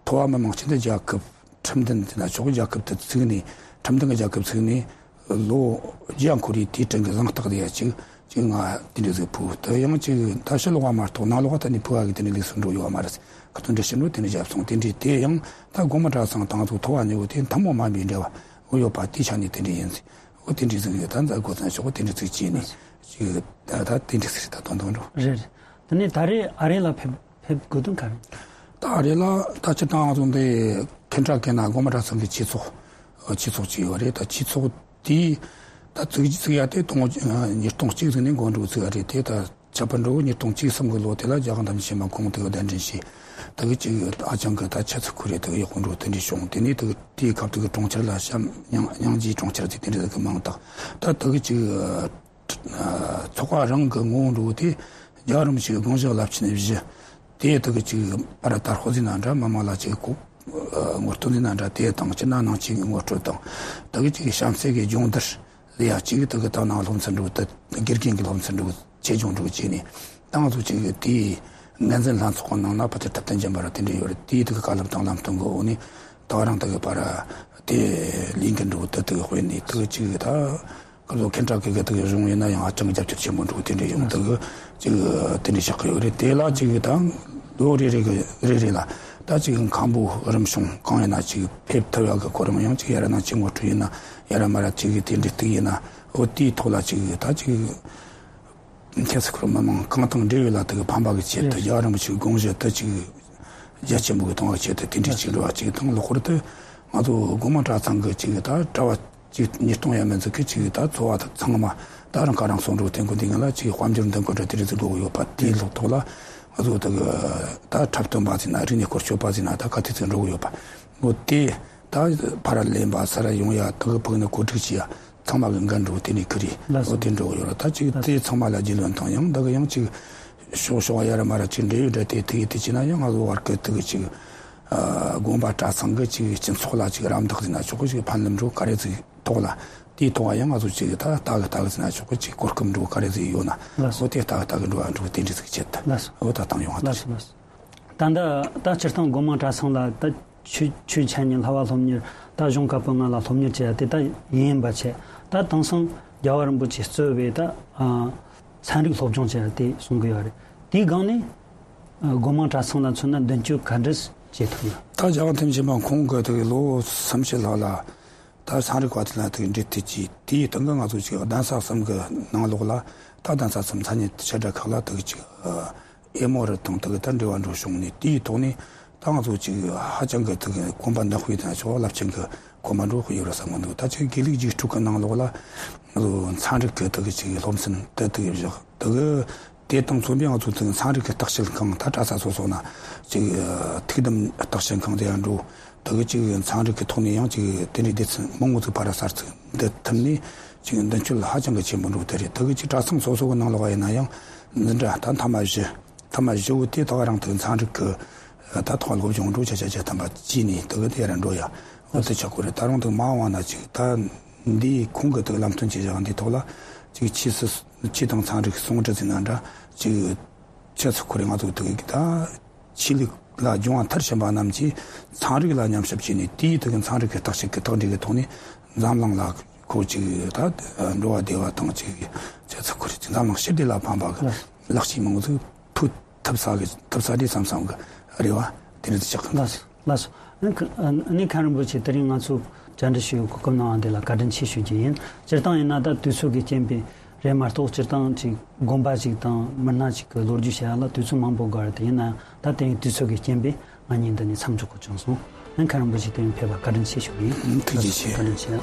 ཐོ་བ་མི་མང་སྤྱི་མཐུན་རྒྱལ་ཁབ་ཁྲིམས་མཐུན་དེ་ན་ཆོག་རྒྱལ་ཁབ་དེ་བཙུགས་ནས་ཁྲིམས་མཐུན་གྱི་རྒྱལ་ཁབ་བཙུགས་ནས་ལོ་བརྒྱ་འཁོར་བའི་དུས་དྲན་གྱི་གཟེངས་རྟགས་དེ་ཡ་ཅིག་ཅིག་ང་དེ་འདྲ་ཟིག་ཕུལ། དེ་ཡང་ཅིག་ད་ཕྱི་ལོགས་པ་མ་གཏོགས་ནང་ལོགས་པ་ད་ནི་ཕུལ་བ་གི་དེ་འདྲ་ལུགས་སུ་འགྲོ་ཡོད་པ་མ་རེད། ཁ་ཏོན་འདྲ་ཞིག་འགྲོ་དེ་འདྲ་བརྒྱབ་སོང་། དེ་འདྲའི་དེ་ཡང་ད་སྒོ་མང་གྲྭ་ཚང་དང་ཚོ་ཐོ་བ་ཉེ་བོ་དེ་ཐུན་མོང་མ་ཡིན་པའི་འབྲེལ་བ་འོ་ཡོད་པ་དེའི་ཆ་ནས་དེ་འདྲ་ཡིན་ཟིག་འོ་དེ་འདྲ་ཟིག་ཡོད། ད་མཛད་སྒོ་ཚང་ཆོག་གོ་དེ་འདྲ་ཟིག་བྱས་ནས་ཅིག་ད་ད་དེ་འདྲ་ཟིག་རེད། ད་དོན་དག་འགྲོ་རེད། རེད། དེ་ནས་ད་རེས་ཨ་རི་ལ་ཕེབས། ཕེབས་དགོས་དོན་ག་རེ། ད་ཨ་རི་ལ་ད་སྤྱིར་བཏང་ང་ཚོ་འདི་ཁེན་ཊ་ཀི་ན་སྒོ་མང་གྲྭ་ཚང་གི་ཆོས་ཚོགས་ཆོས་ཚོགས་ཅིག་ཡོད་རེད། ད་ཆོས་ཚོགས་དེའི་ད་ཚིག་ཚིག་ཡ་དེ་སྟོང་ཉིས་སྟོང་གཅིག་ཚུན་ནས་འགོ་འགྲོ་ཚུགས་ཡ་རེད། དེ་ད་ཆ་པ་འགྲོ་ཉིས་སྟོང་གཅིག་གསུམ་གི་ལོ་དེ་ལ་རྒྱལ་དབང་དམ་ཆོས་མ་ཁོང་དེ་ག་གདན་འདྲེན་བྱས། དེ་གི་ཅིག་ཨ་ཅང་གི་ད་ཆ་ཚིག་ཁུ་རེ་དེ་གི་ཡག་པོ་འགྲོ་དེ་འདྲ་བྱུང་། དེ་ནས་དེ་གི་དེའི་སྐབས་དེ་གི་གྲོང་ཁྱེར་ལ་བྱམས་སྙིང་རྗེའི་གྲོང་ཁྱེར་ཟེར་དེ་འདྲ་གི་མིང་བཏགས། ད་དེ་གི་ཅིག་ཚོགས་པ་རང་གི་ངོ་བོ་འགྲོ་དེ་རྒྱལ་བ་རིན་པོ་ཆེའི་དགོངས་བཞེད་རླབས་ཆེན་བཞི་དེ་དག་ཅིག་ཨ་ར་དར་ཧོ་ཟིན་ན་འདྲ་མི་མང་ལ་ཅིག་གོ་ངོ་སྤྲོད་ཟིན་ན་འདྲ་དེ་དང་སྤྱིར་ན་ནང་ཆོས་ཀྱི་ངོ་སྤྲོད་དང་དག་ཅིག་གཤམ་གསལ་གྱི་སྦྱོང་བརྡར་ལ་ཡ་ཅིག་དག་ད་ནང་སློབ་ཚན་འགྲོ་དེ་དགེ་རྒན་གྱི་སློབ་ཚན་འགྲོ་ཆེད་སྦྱོང་འགྲོ་བྱས་ནས་ཏང་ཚོ་ཅིག་དེའི་ངན་འཛིན་ལྷན་ཚོགས་ནང་ན་ཕ་དེ་ཐབས་ལྡན་རྒྱན་པ་ར་དེ་འདྲ་ཡོད་རེད། དེའི་དག་བཀའ་སློབ་དང་ལམ་སྟོན་གྱི་འོག་ནས་ད་རང་དག་པ་ར་དེ་ལས་འགན་འགྲོ་དེ་དག་དཔེ་ནས་དག་ཅིག་ད། ཁོ་ཚོ་ཁེན་ཊ་ཀི་གི་དེ་གི་གཞུང་ཡིན་ན་ཡང་ཧ་ཅང་རྒྱབ་སྐྱོར་ཆེན་པོ་འགྲོ་དེ་འདྲ་ཡོང་། དེ་གི་ཅིག་དེ་འདྲ་བཞག་གི་ཡོད་རེད། དེ་ལ་ཅིག་དང་ལོ་རེ་རེ་གི་རེ་རེ་ལ་ད་ཅིག་མཁན་པོ་རིམ་བྱུང་གང་ཡིན་ན་ཅིག་ཕེབས་ཐུབ་ཡག་གི་གོ་རིམ་ཡང་ཅིག་ཡ་ར་ན་ཅིག་ངོ་སྤྲོད་ཡིན་ན་ཡ་ར་མ་ར་ཅིག་དེ་འདྲ་གཏུག་ཡིན་ན་འོ་དེའི་ཐོག་ལ་ཅིག་ད་ཅིག་ཁྱེད་ཚོ་ཁོར་མི་མང་གང་དང་འབྲེལ་ཡོད་ལ་དེ་གི་ཕན་པ་གི་ཆེད་དུ་རྒྱལ་བ་རིན་པོ་ཆེའི་དགོངས་གཞི་དེ་ཅིག་རྒྱ་ཆེན་པོ་གི་གཏོང་བ་ཆེད་དུ་དེ་འདྲའི་ཅིག་འགྲོ་བ་ཅིག་དང་། ལྷག་པར་དུ་ང་ཚོ་སྒོ་མང་གྲྭ་ཚང་གི་ཅིག་ད་གྲྭ་བ་ཅིག་ཉིས་སྟོང་ཡས་མས་ཟིག་གི་ཅིག་ད་ཚོ་བ་ཚང་མ་ད་རང་ཁ་རང་གསོ་འགྲོ་དེ་འགོ་འདི་ང་ལ་ཅིག་དཔལ་འབྱོར་འདི་འགོ་འདྲ་དེ་རིགས་ཟིག་དགོས་ཡོད་པ་དེའི་ལོག་ཐོག་ལ་ང་ཚོ་ད་གི་ད་འཁྲབ་སྟོན་པ་ཟིག་ན་རིག་གནས་སྐོར་སྐྱོད་པ་ཟིག་ན་ད་ག་དེ་ཚོ་འགྲོ་གི་ཡོད་པ་འོ་དེ་ད་ཕ་ར་ལེན་པ་ས་ར་ཡོང་ཡ་ད་གི་ཕུག་ནི་གོ་སྒྲིག་བྱེད་ཡ། ཚང་མ་གི་འགན་འགྲོ་དེ་ནས་ཁུར་རེ་ལགས་སོ། འོ་དེ་འགྲོ་ཡོད་ར། ད་ཅིག་ལགས་དེ་སོ། ཚང་མ་ལ་རྒྱུས་ལོན་དང་ཡང་ད་གི་ཡང་ཅིག་ཤོག་ཤོག་ཡ་ར་མ་ར་ཅིག་འབྲེལ་ཡོད་འདྲ་དེ་དེ་གི་དེ་ཅི་ན་ཡང་ང་ཚོ་བར་གི་དེ་གི་ཅིག་ཨ་དགོན་པ་གྲྭ་ཚང་གི་ཅིག་སྤྱི་ཚོགས་ལ་ཅིག་རམ་འདེགས་ཟིན་ན་ཆོག་གི་ཅིག་ཕན་ལམ་འགྲོ་ག་རེ་ཟིག་ཐོག་ལ་དེའི་ཐོག་ཡང་ང་ཚོ་ཅིག་ད་ལྟ་གི་ལྟ་གི་ཟིན་ན་ཆོག་གི་ཅིག་གོ་སྐབས་འགྲོ་ག་རེ་ཟིག་ཡོད་ན་ལགས་སོ། འོ་དེ་ལྟ་གི་ལྟ་གི་འགྲོ་བ་འགྲོ་དེ་འདྲ་ཟིག་ཆེད་དུ་ལགས་སོ། འོ་ད་བཏང་ཡོང་བ་ལགས་དེ་སོ་ལགས་སོ། ད་ལྟ་ད་སྤྱིར་བཏང་སྒོ་མང་གྲྭ་ཚང་ལ་ད་ཆོས་ཆོས་འཆད་ཉན་བསླབ་པ་སློབ་གཉེར་ད་གཞུང་བཀའ་པོད་ལྔ་ལ་སློབ་གཉེར་བྱེད་ཡ་དེ་ད་ཡིན་པ་བྱས། ད་དེང་སང་རྒྱལ་བ་རིན་པོ་ཆེས་གཙོས་པའི་ད་ཨ་ཚན་རིག་སློབ་སྦྱོང་བྱེད་ཡ་དེ་གསུང་གི་ཡོད་རེད། དེའི་སྒང་ནས་ཨ་སྒོ་མང་གྲྭ་ཚང་ལ་མཚོན་ན་མདུན་སྐྱོད་ག་འདྲ་བྱེད་ཐུབ་ན། ད་རྒྱལ་བ་ཐམས་ཅད་མ་ཁོང་གི་དེ་གི་ལོ་སུམ་ཅུ་ལྷག་ལ་ད་ཚན་རིག་པ་དེ་ལ་དེ་གི་འབྲེལ་མཐུད་ཀྱིས་དེའི་སྟེང་གི་ང་ཚོ་ཅིག་གདན་ས་གསུམ་གི་ནང་ལོགས་ལ་ད་གདན་ས་གསུམ་ས་གནས་ཆེ་གྲས་ཁག་ལ་དེ་གི་ཅིག་ཨ། ཨེ་མོ་རི་དང་དེ་གི་ད་འབྲེལ་བ་འགྲོ་བྱུང་ནས་དེའི་ཐོག་ནས་ད་ང་ཚོ་ཅིག་ཧ་ཅང་གི་དེ་གི་གོམ་པ་འདི་སྤོས་དང་ཆོག་རླབས་ཆེན་གི་གོམ་པ་འགྲོ་གི་ཡོད་རེད་བསམ་གི་འདུག་ད་ཅིག་དགེ་ལུགས་རྒྱུགས་སྤྲོད་གི་ནང་ལོགས་ལ་ང་ཚོ་ཚན་རིག་གི་དེ་གི་ཅིག་སློབ་ཚན་དེ་དེ་གི་བཞག་དེ་གི་དེ་དང་མཚོན་པའི་ང་ཚོ་དེ་གི་ཚན་རིག་གི་བརྟག་དཔྱད་ཁང་ད་གྲྭ་ས་སོ་སོ་ན་ཅིག་ཐུགས་དམ་བརྟག་དཔྱད་ཁང་དེ་ཡང་འགྲོ། དེ་གི་ཅིག་ཚན་རིག་གི་ཐོག་ནས་ཡང་ཅིག་དེ་འདྲའི་སྡེ་ཚན་མང་བོ་ཚོ་ཕར་གསར་ཚུགས་འདི་ཐུབ་ནས་ཅིག་མདུན་སྐྱོད་ཧ་ཅང་གི་ཆེན་པོ་འགྲོ་དེ་རེད། དེ་གི་ཅིག་གྲྭ་ཚང་སོ་སོ་གི་ནང་ལོགས་ཡིན་ན་ཡང་འཛིན་གྲྭ་ད་མཐའ་མ་བཞི། མཐའ་མ་བཞི་བོ་དེ་ད་ག་རང་དེ་ཚན་རིག་གི་ད་ཐོག་སློབ་སྦྱོང་འགྲོ་ཆ་ཆ་ཆ་ཐམ་པ་བྱས་ནས་དེ་གི་དེ་ར་འགྲོ་ཡ་འོ་དེ་ཆགས་གོ་རེད། ད་རུང་དེ་མ་འོངས་ན་ཅིག་ད་འདི་ཁོང་གི་དེ་ལམ་སྟོན་བྱེད་བཞག་འདི་ཐོག་ལ་ཅིག་ཆོས་སྲིད་ཆོས་དང་ཚན་རིག་ཟུང་འབྲེལ་ཟེར་ན་འདྲ་ཅིག་ཆོས་ཚོགས་ཁོ་རེ་ང་ཚོ་དེ་གི་ད་ཆོས་ལུགས་ལ་སྦྱོང་བ་མཐར་ཕྱིན་པ་རྣམས་ཀྱིས་ཚན་རིག་ལ་ཉམས་ཞིབ་བྱས་ནས་དེའི་དེ་གི་ཚན་རིག་གི་བརྟག་དཔྱད་ཀྱི་རྟགས་འགྲེལ་གྱི་ཐོག་ནས་འཛམ་གླིང་ལ་ཁོ་ཅིག་ད་འགྲོ་བ་བདེ་བ་དང་ཅིག་ཆོས་ཚོགས་ཁོ་རེ་ཅིག་འཛམ་གླིང་ཞི་བདེ་ལ་ཕན་པ་གི་ལག་ཤེས་མང་པོ་ཟིག་ཕུལ་ཐུབ་ས་གི་ཐུབ་ས་རེད་བསམ་བསམ་གི་རེ་བ་དེ་འདྲ་ཆགས་ཀྱི་འདུག་ལགས་སོ། ལགས་སོ། ཨ་ནི་ཁ་ཨ་ནི་མཁན་རིན་པོ་ཆེ་དེ་རིང་ང་ཚོ་བཅར་འདྲི་ཞུ་བའི་གོ་སྐབས་གནང་བ་འདི་ལ་བཀའ་དྲིན་ཆེ་ཞུ་རྒྱུ་ཡིན། སྤྱིར་བཏང་ཡིན་ན་ད་དུས་ཚོད་ཀྱི་རྐྱེན་པས་རེད་མ་གཏོགས་སྤྱིར་བཏང་ཅིག་དགོན་པ་ཅིག་དང་མི་སྣ་ཅིག་གི་ལོ་རྒྱུས་བཤད་ཡ་ལ་དུས་ཚོད་མང་པོ་དགོས་རེད། དེ་ཡིན་ན་ཡང་ད་དེ་རིང་དུས་ཚོད་ཀྱི་རྐྱེན་པས་ང་གཉིས་འདི་ནས་མཚམས་འཇོག་དགོས་བྱུང་སོང་། ཨ་མཁན་རིན་པོ་ཆེ་དེ་ཕེབས་པར་བཀའ་དྲིན་ཆེ་ཞུ་གི་ཡིན། ཐུགས་རྗེ་ཆེ། བཀའ་དྲིན་ཆེ།